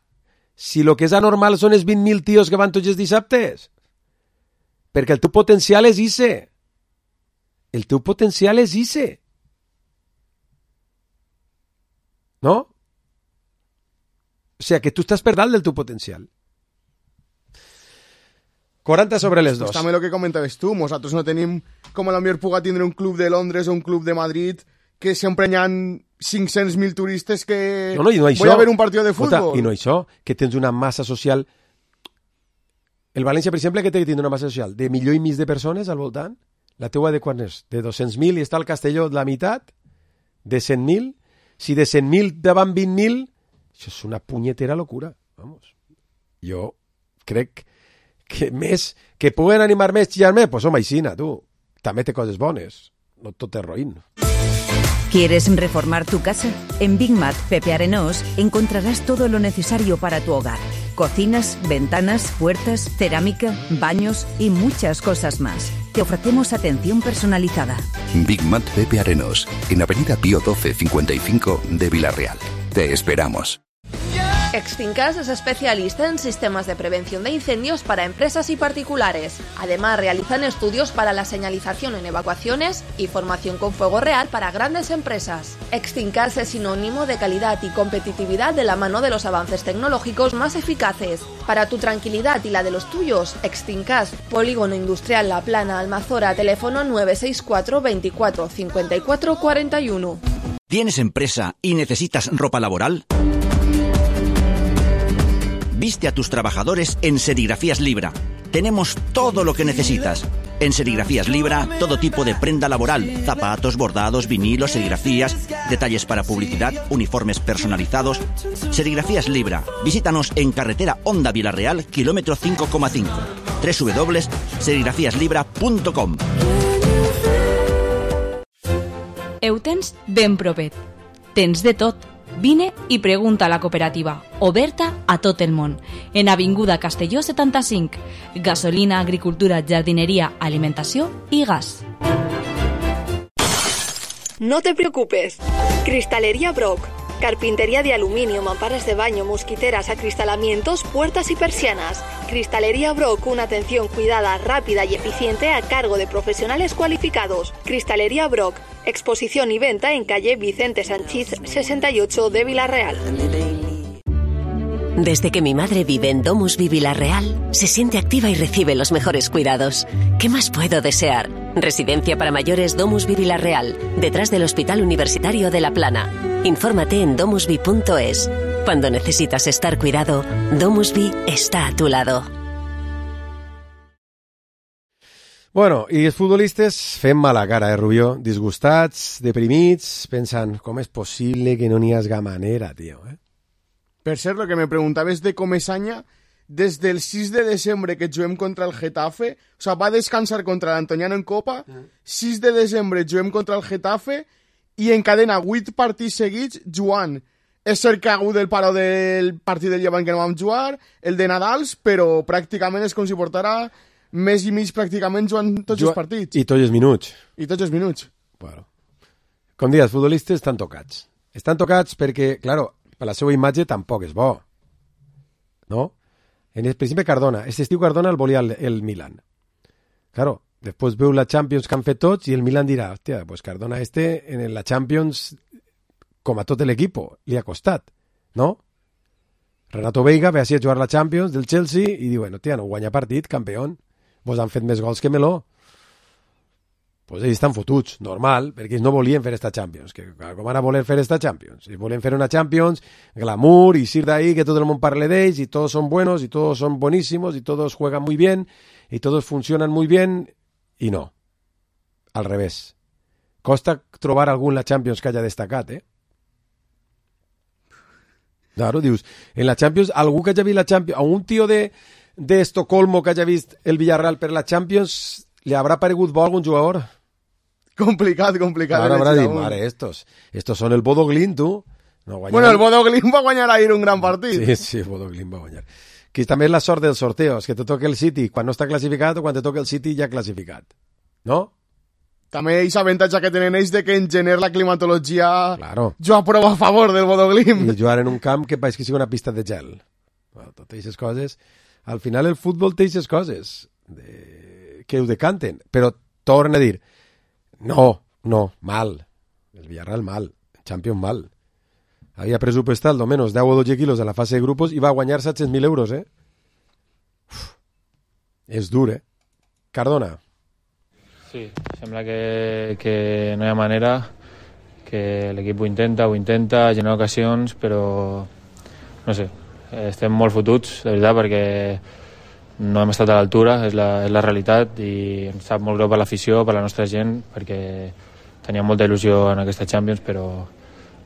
E: Si lo que és anormal són els 20.000 tios que van tots els dissabtes. Perquè el teu potencial és ise. El teu potencial és ise. No? O sigui, que tu estàs per dalt del teu potencial. 40 sobre les dos.
A: Pues també el que comentaves tu, nosaltres no tenim com a la millor puga tindre un club de Londres o un club de Madrid que sempre hi ha 500.000 turistes que
E: no, això,
A: voy a ver un partit de futbol.
E: I no això, que tens una massa social... El València, per exemple, que té que tindre una massa social de 1,5 milions de persones al voltant. La teua de quan és? De 200.000 i està el Castelló de la meitat? De 100.000? Si de 100.000 davant 20.000, això és una punyetera locura. Vamos. Jo crec que més, que puguen animar més, xillar més, pues home, aixina, tu. També té coses bones. No tot és roïn.
Q: ¿Quieres reformar tu casa? En Big Mat Pepe Arenós encontrarás todo lo necesario para tu hogar. Cocinas, ventanas, puertas, cerámica, baños y muchas cosas más. Te ofrecemos atención personalizada.
R: Big Mat Pepe Arenós, en Avenida Pío 12 55 de Villarreal. Te esperamos.
I: Extincas es especialista en sistemas de prevención de incendios para empresas y particulares. Además, realizan estudios para la señalización en evacuaciones y formación con fuego real para grandes empresas. Extincas es sinónimo de calidad y competitividad de la mano de los avances tecnológicos más eficaces. Para tu tranquilidad y la de los tuyos, Extincas, Polígono Industrial La Plana, Almazora, teléfono 964 24 54 41.
S: ¿Tienes empresa y necesitas ropa laboral? Viste a tus trabajadores en Serigrafías Libra. Tenemos todo lo que necesitas. En Serigrafías Libra, todo tipo de prenda laboral, zapatos, bordados, vinilos, serigrafías, detalles para publicidad, uniformes personalizados. Serigrafías Libra. Visítanos en carretera Honda Villarreal, kilómetro 5,5. www.serigrafiaslibra.com.
T: Eutens ben propet. Tens de tot. Vine i pregunta a la cooperativa, oberta a tot el món, en Avinguda Castelló 75, gasolina, agricultura, jardineria, alimentació i gas.
U: No te preocupes. Cristalería Brock. Carpintería de aluminio, mamparas de baño, mosquiteras, acristalamientos, puertas y persianas. Cristalería Brock, una atención cuidada, rápida y eficiente a cargo de profesionales cualificados. Cristalería Brock, exposición y venta en calle Vicente Sanchís 68 de Villarreal.
V: Desde que mi madre vive en Domusvi Villarreal, se siente activa y recibe los mejores cuidados. ¿Qué más puedo desear? Residencia para mayores Domusvi Villarreal, detrás del Hospital Universitario de La Plana. Infórmate en domusvi.es. Cuando necesitas estar cuidado, Domusvi está a tu lado.
E: Bueno, i els futbolistes fem mala cara, Rubió? Disgustats, deprimits, pensant, com és possible que no n'hi hagi manera, tio,
A: Per cert, lo que me preguntaves de Comesaña, desde el 6 de desembre que juguem contra el Getafe, o sea, va descansar contra l'Antoniano en Copa, 6 de desembre juguem contra el Getafe i encadena 8 partits seguits jugant. És cert que ha hagut el paro del partit del Llevant que no vam jugar, el de Nadals, però pràcticament és com si portara mes i mig pràcticament jugant tots els partits.
E: I tots els minuts.
A: I tots els minuts.
E: Bueno. Com dius, els futbolistes estan tocats. Estan tocats perquè, claro, per la seva imatge tampoc és bo. No? Per exemple, Cardona. Este estiu Cardona el volia el Milan. Claro, després veu la Champions que han fet tots i el Milan dirà, hòstia, pues Cardona en la Champions, com a tot l'equip, li ha costat, no? Renato Veiga ve així a jugar la Champions del Chelsea i diu, bueno, tia, no guanya partit, campió. Vos han fet més gols que Meló. Pues ells estan fotuts, normal, perquè ells no volien fer esta Champions. Que, com van a voler fer esta Champions? Ells volien fer una Champions, glamour, y ir de ahí, que todo el mundo parle de ells, y todos son buenos, y todos son buenísimos, y todos juegan muy bien, y todos funcionan muy bien, y no. Al revés. Costa trobar algun la Champions que haya destacat, Claro, dius, en la Champions, algú que haya vist la Champions, a un tío de Estocolmo que haya vist el Villarreal per la Champions, ¿le habrá paregut bo algun jugador?
A: Complicat.
E: Ahora habrá dit, mare, estos son el Bodo Glimt, tu. No,
A: bueno, el Bodo Glimt va guanyar ahir un gran partit.
E: Sí, el Bodo Glimt va guanyar. Que també és la sort dels sorteos, que te toque el City quan no està classificat o quan te toque el City ja classificat. No?
A: També és avantatge que tenen ells de que en gener la climatologia
E: jo
A: aprovo a favor del Bodo Glimt.
E: I jugar en un camp que pareix que sigui una pista de gel. Bueno, totes aquestes coses. Al final el futbol té aquestes coses que ho decanten. Però torna a dir, no, mal. El Villarreal mal. El Champions mal. Havia pressupostat almenys 10 o 12 quilos en la fase de grupos i va guanyar 700.000 euros, És dur, Cardona.
B: Sí, sembla que no hi ha manera, que l'equip ho intenta, genera ocasions, però no sé, estem molt fotuts, de veritat, perquè no hem estat a l'altura, és la realitat, i em sap molt greu per l'afició, per la nostra gent, perquè teníem molta il·lusió en aquesta Champions, però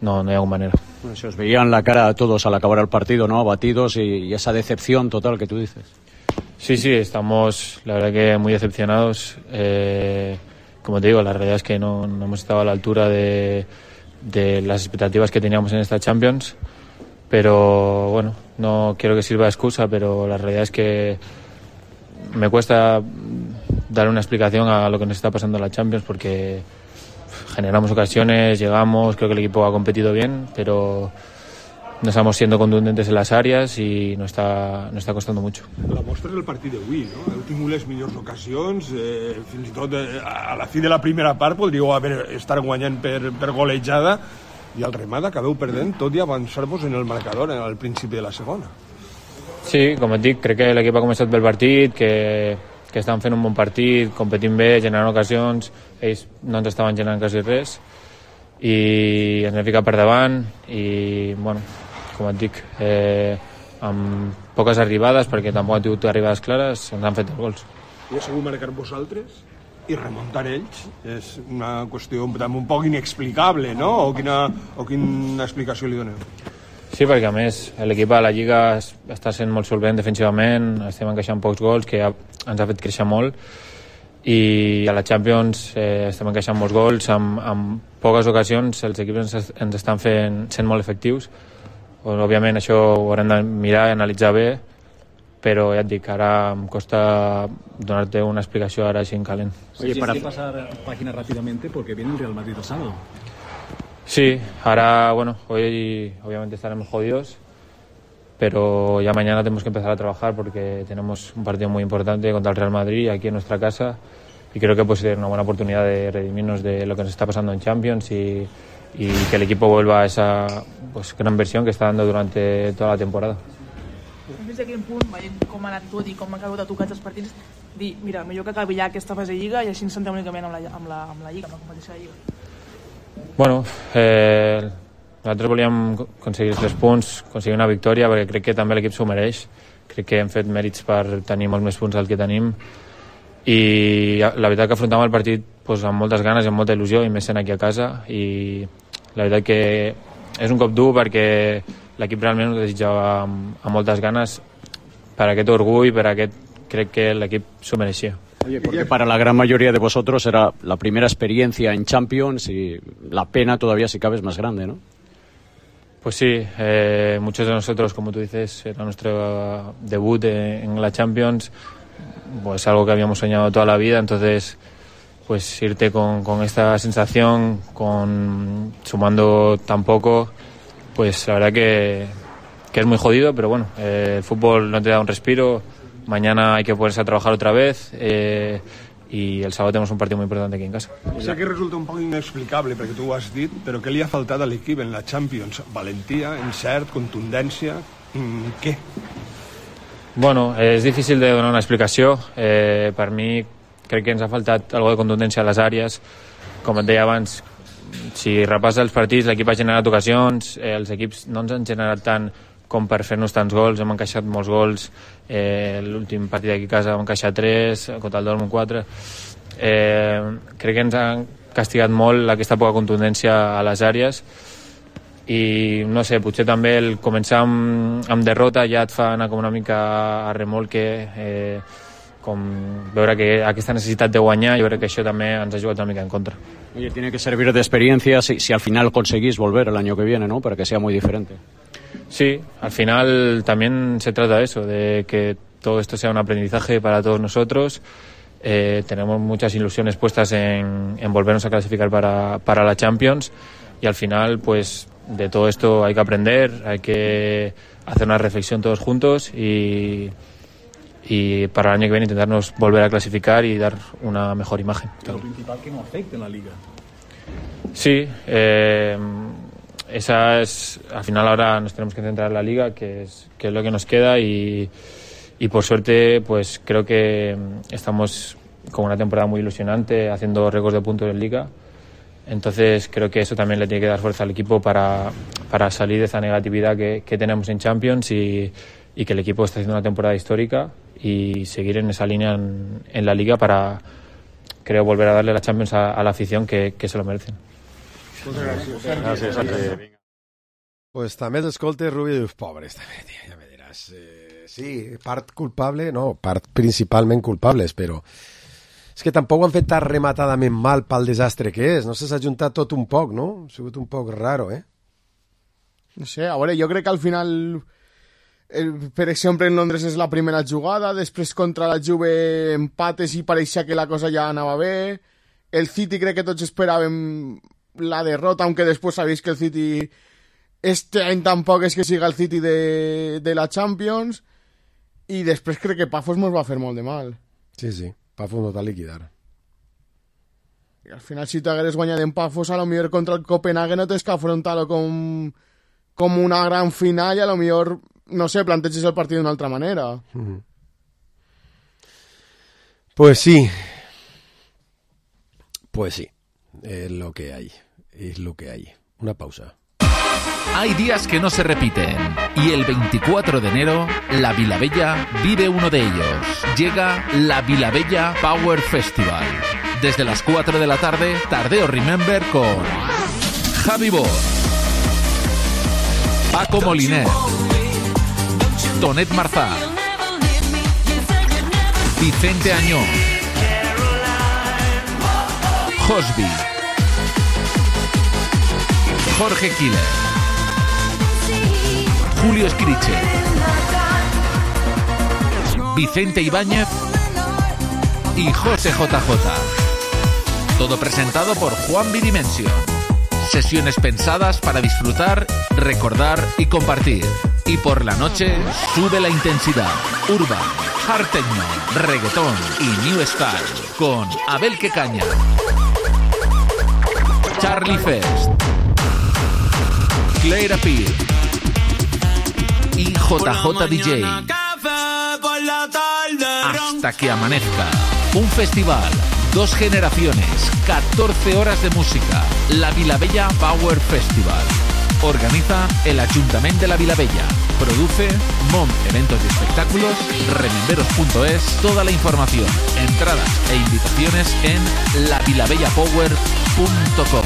B: no hi ha alguna manera.
P: Bueno, se os veía en la cara a todos al acabar el partido, ¿no? Abatidos y esa decepción total que tú dices.
B: Sí, estamos, la verdad, que muy decepcionados. Como te digo, la realidad es que no hemos estado a la altura de las expectativas que teníamos en esta Champions, pero bueno, no quiero que sirva de excusa, pero la realidad es que me cuesta dar una explicación a lo que nos está pasando en la Champions, porque generamos ocasiones, llegamos, creo que el equipo ha competido bien, pero no estamos siendo contundentes en las áreas i no està costando mucho.
N: La mostra és el partit d'avui, no? Heu tingut les millors ocasions, fins i tot a la fi de la primera part podríeu estar guanyant per golejada, i al remat acabeu perdent tot i avançar-vos en el marcador al principi de la segona.
B: Sí, com et dic, crec que l'equip ha començat bé el partit, que estan fent un bon partit, competint bé, generant ocasions, ells no ens estaven generant quasi res, i ens hem ficat per davant, i bueno, com et dic, amb poques arribades, perquè tampoc han tingut arribades clares, ens han fet els gols.
N: I ha sigut marcar vosaltres i remuntar ells és una qüestió un poc inexplicable, no? O quina explicació li doneu?
B: Sí, perquè a més l'equip a la Lliga està sent molt solvent defensivament, estem encaixant pocs gols, que ens ha fet créixer molt, i a la Champions estem encaixant molts gols, amb poques ocasions els equips ens estan sent molt efectius. Òbviament això ho haurem de mirar i analitzar bé, però ja et dic, ara em costa donar-te una explicació ara així en calent.
C: Oye, ¿tienes que pasar página rápidamente porque viene el Real Madrid el sábado?
B: Sí, ahora, bueno, hoy obviamente estaremos jodidos, pero ya mañana tenemos que empezar a trabajar porque tenemos un partido muy importante contra el Real Madrid aquí en nuestra casa, y creo que puede ser una buena oportunidad de redimirnos de lo que nos está pasando en Champions y que el equipo vuelva a esa gran versión que está dando durante toda la temporada.
W: Fins a quin punt, veient com ha anat tot i com han acabat tocats els partits, dir, mira, millor que acabi ja aquesta fase de Lliga i així ens centrem únicament amb la Lliga, amb la competició de Lliga.
B: Bueno, nosaltres volíem aconseguir els 3 punts, aconseguir una victòria, perquè crec que també l'equip s'ho mereix. Crec que hem fet mèrits per tenir molts més punts del que tenim, i la veritat que afrontàvem el partit amb moltes ganes i amb molta il·lusió, i més sent aquí a casa, i la veritat que és un cop dur perquè l'equip realment ho desitjava amb moltes ganes, per aquest orgull, crec que l'equip s'ho mereixia.
P: Oye, porque para la gran mayoría de vosotros era la primera experiencia en Champions y la pena todavía, si cabe, es más grande, ¿no?
B: Pues sí, muchos de nosotros, como tú dices, era nuestro debut en la Champions, pues algo que habíamos soñado toda la vida, entonces pues irte con esta sensación, sumando tan poco, pues la verdad que es muy jodido, pero bueno, el fútbol no te da un respiro. Mañana hay que ponerse a trabajar otra vez, y el sábado tenemos un partido muy importante aquí en casa.
N: Sé que resulta un poc inexplicable perquè tu ho has dit, però què li ha faltat a l'equip en la Champions? Valentia, encert, contundència, què?
B: Bueno, és difícil de donar una explicació. Per mi crec que ens ha faltat algo de contundència a les àrees. Com et deia abans, si repassa els partits, l'equip ha generat ocasions, els equips no ens han generat tant com per fer-nos tants gols, hem encaixat molts gols, l'últim partit d'aquí a casa vam encaixar 3, contra el Dortmund 4. Crec que ens han castigat molt aquesta poca contundència a les àrees, i no sé, potser també el començar amb derrota ja et fa anar com una mica a remolque, com veure que aquesta necessitat de guanyar, jo crec que això també ens ha jugat una mica en contra.
P: Oye, tiene que servir de experiencia si al final conseguís volver el año que viene, ¿no? Para que sea muy diferente.
B: Sí, al final también se trata de eso, de que todo esto sea un aprendizaje para todos nosotros. Tenemos muchas ilusiones puestas en volvernos a clasificar para la Champions, y al final pues de todo esto hay que aprender, hay que hacer una reflexión todos juntos, y para el año que viene intentarnos volver a clasificar y dar una mejor imagen.
C: Lo principal, que no afecte en la Liga.
B: Sí, esa es, al final ahora nos tenemos que centrar en la Liga, que es lo que nos queda, y y por suerte pues creo que estamos con una temporada muy ilusionante, haciendo récords de puntos en Liga. Entonces creo que eso también le tiene que dar fuerza al equipo para salir de esa negatividad que tenemos en Champions y que el equipo está haciendo una temporada histórica y seguir en esa línea en la Liga para, creo, volver a darle la Champions a la afición que se lo merecen.
E: Gràcies. Pues també t'escoltes, Rubi, i dius, pobres, també, tia, ja me diràs. Sí, part culpable, no, part principalment culpables, però és que tampoc ho han fet tan rematadament mal pel desastre que és. No sé, s'ha juntat tot un poc, no? Ha sigut un poc raro,
A: No sé, a veure, jo crec que al final, per exemple, en Londres és la primera jugada, després contra la Juve empates i pareixia que la cosa ja anava bé. El City crec que tots esperàvem la derrota, aunque després sabéis que el City este any tampoc és que siga el City de la Champions, i després crec que Pafos mos va fer molt de mal.
E: Sí, Pafos nos va liquidar.
A: I al final, si t'hagueres guanyat en Pafos, a lo millor contra el Copenhague no tens que afrontar-lo com una gran final i a lo millor, no sé, planteges el partit d'una altra manera.
E: Pues sí, es lo que hay, Una pausa.
D: Hay días que no se repiten y el 24 de enero la Vilabella vive uno de ellos. Llega la Vilabella Power Festival. Desde las 4 de la tarde, Tardeo Remember con Javi Bor, Paco Moliner, Tonet Marzá, Vicente Añón, Josby, Jorge Killer, Julio Escriche, Vicente Ibáñez y José JJ. Todo presentado por Juan Bidimension. Sesiones pensadas para disfrutar, recordar y compartir. Y por la noche sube la intensidad. Urban, hard techno, reggaetón y new style con Abel Quecaña, Charlie Fest, Claire Appeal y JJ DJ. Hasta que amanezca. Un festival, 2 generaciones, 14 horas de música. La Vilabella Power Festival. Organiza el Ayuntamiento de la Vilabella. Produce MOM Eventos y Espectáculos. Rememberos.es. Toda la información, entradas e invitaciones en lavilabellapower.com.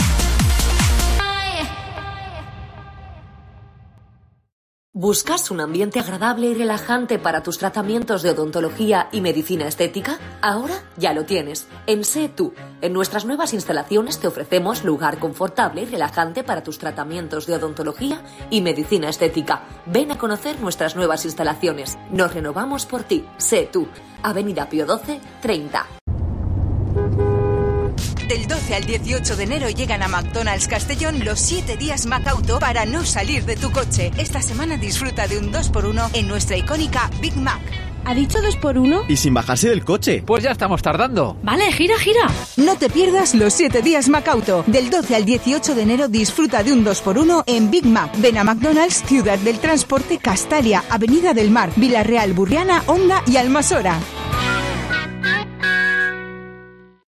V: ¿Buscas un ambiente agradable y relajante para tus tratamientos de odontología y medicina estética? Ahora ya lo tienes. En Sé Tú. En nuestras nuevas instalaciones te ofrecemos lugar confortable y relajante para tus tratamientos de odontología y medicina estética. Ven a conocer nuestras nuevas instalaciones. Nos renovamos por ti. Sé Tú. Avenida Pío XII, 30.
Q: Del 12 al 18 de enero llegan a McDonald's Castellón los 7 días MacAuto para no salir de tu coche. Esta semana disfruta de un 2x1 en nuestra icónica Big Mac.
F: ¿Ha dicho 2x1?
G: Y sin bajarse del coche.
F: Pues ya estamos tardando. Vale, gira.
Q: No te pierdas los 7 días MacAuto. Del 12 al 18 de enero disfruta de un 2x1 en Big Mac. Ven a McDonald's, Ciudad del Transporte, Castalia, Avenida del Mar, Villarreal, Burriana, Onda i Almassora.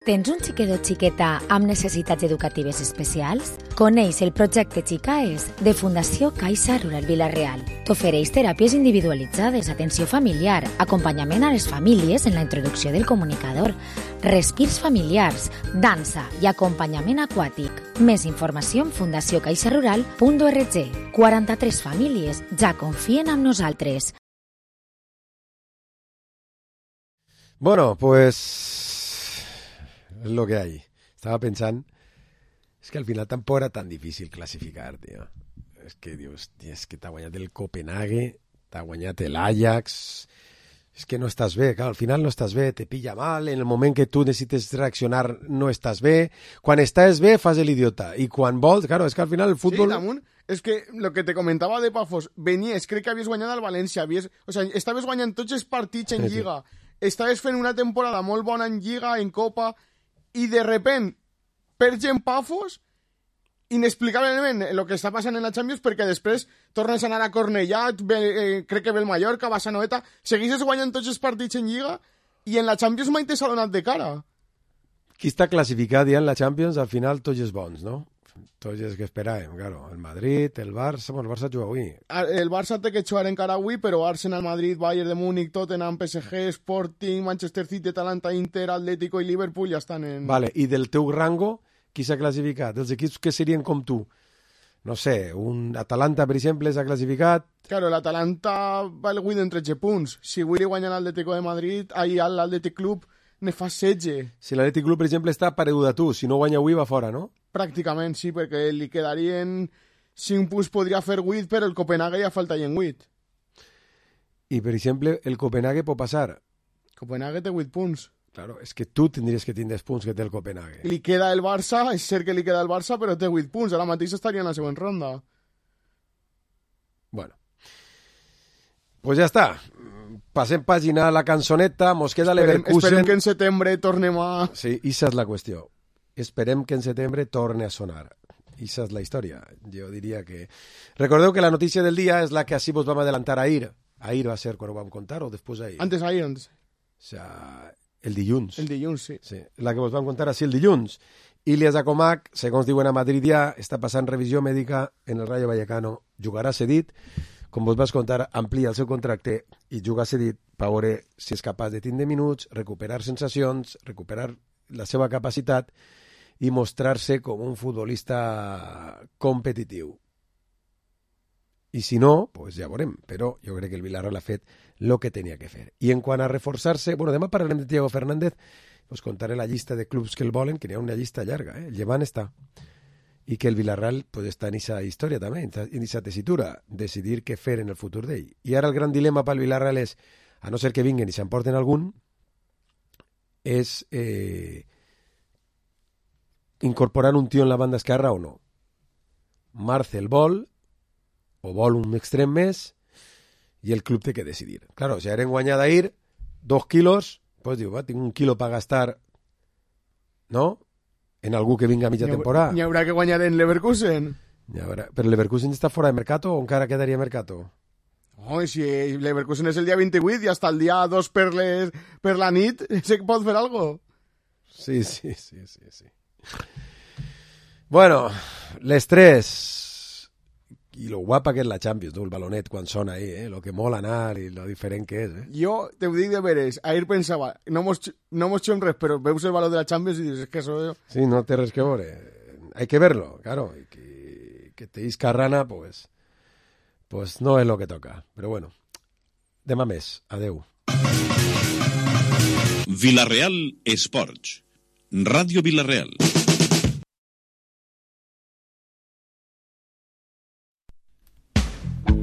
H: Tens un xiquet o xiqueta amb necessitats educatives especials? Coneix el projecte Xicaes de Fundació Caixa Rural Vila-real. T'ofereix teràpies individualitzades, atenció familiar, acompanyament a les famílies en la introducció del comunicador, respirs familiars, dansa i acompanyament aquàtic. Més informació en fundaciocaixarural.org. 43 famílies ja confien en nosaltres.
E: Bueno, pues es lo que hay. Estaba pensando, es que al final tampoco era tan difícil clasificar, tío. Es que, Dios, es que t'ha guanyat el Copenhague, t'ha guanyat el Ajax. Es que no estàs bé, claro, al final no estàs bé, te pilla mal, en el moment que tu necessites reaccionar no estàs bé, quan estàs bé fas el idiota, i quan vols, claro, es que al final el fútbol...
A: Sí, damunt, es que lo que te comentaba de Pafos, venies, crec que havies guanyat al València, o sea, estaves guanyant tots els partits en Lliga, estaves fent una temporada molt bona en Lliga, en Copa, i de repent perds en Pafos inexplicablement el que està passant en la Champions, perquè després tornes a anar a Cornellà, crec que ve el Mallorca, vas a Noeta, segueixes guanyant tots els partits en Lliga i en la Champions mai te s'ha donat de cara.
E: Qui està classificat ja en la Champions, al final tots els bons, no? Tots els que esperàvem, claro. El Madrid, el Barça... Bueno, el Barça juga avui.
A: El Barça té que jugar encara avui, però Arsenal, Madrid, Bayern de Múnich, Tottenham, PSG, Sporting, Manchester City, Atalanta, Inter, Atlético i Liverpool ja estan en...
E: Vale, i del teu rango, qui s'ha classificat? Els equips que serien com tu? No sé, un Atalanta, per exemple, s'ha classificat...
A: Claro, l'Atalanta va el guany en 13 punts. Si avui li guanya l'Atlético de Madrid, ahir l'Atlètic Club ne fa 16.
E: Si l'Atlètic Club, per exemple, està paregut a tu, si no guanya avui va fora, no?
A: Pràcticament, sí, perquè li quedarien 5 punts, podria fer 8, però el Copenhague ja falta en 8.
E: I, per exemple, el Copenhague pot passar.
A: Copenhague té 8 punts.
E: Claro, és que tu tindries que tindre els punts que té el Copenhague.
A: Li queda el Barça, és cert que li queda el Barça, però té 8 punts. Ara mateix estaria en la següent ronda.
E: Bueno. Pues ja està. Passem pàgina a la cançoneta, mos queda l'Everkusen.
A: Esperem que en setembre tornem a...
E: Sí, issa és la qüestió. Esperem que en setembre torni a sonar. Issa és la història. Jo diria que... Recordeu que la notícia del dia és la que així vos vam adelantar ahir. Ahir va ser quan ho vam contar o després ahir?
A: Antes.
E: O sea, el dilluns.
A: El dilluns, sí.
E: Sí, la que vos vam contar així el dilluns. Ilias Akomak, segons diuen a Madrid ja, està passant revisió mèdica en el Rayo Vallecano. Jugarà cedit. Com vos vas contar, amplia el seu contracte i juga cedit per veure si és capaç de tindre minuts, recuperar sensacions, recuperar la seva capacitat i mostrar-se com un futbolista competitiu. I si no, pues ja veurem, però jo crec que el Villarreal ha fet el que tenia que fer. I en quant a reforçar-se, bueno, demà parlarem de Thiago Fernández, us contaré la llista de clubs que el volen, que n'hi ha una llista llarga, el Llevant està. I que el Villarreal pues, està en aquesta història també, en aquesta tessitura, decidir què fer en el futur d'ell. I ara el gran dilema pel Villarreal és, a no ser que vinguen i s'emporten algun, és incorporar un tio en la banda esquerra o no. Marcel vol, o vol un extrem més, i el club té que decidir. Claro, si eren guanyat ahir 2 quilos, pues diu, va, tinc 1 quilo per gastar, no?, en algú que vinga a mitja temporada.
A: N'hi haurà que guanyar en Leverkusen.
E: Però Leverkusen està fora de Mercato o encara quedaria Mercato?
A: Oh, si Leverkusen és el dia 28 i hasta el dia 2 per la nit, sé que pot fer algo.
E: Sí. Bueno, les 3... I lo guapa que és la Champions, no? El balonet quan sona ahí, lo que mola anar i lo diferent que és.
A: Jo te ho dic de veres, ahir pensava, no mos xom res, però veus el valor de la Champions i dius, és que això...
E: Sí, no té res que veure. Hay que verlo, claro. Y que te isca rana, pues no és lo que toca. Però bueno, demà més. Adeu.
G: Villarreal Esports. Ràdio Villarreal.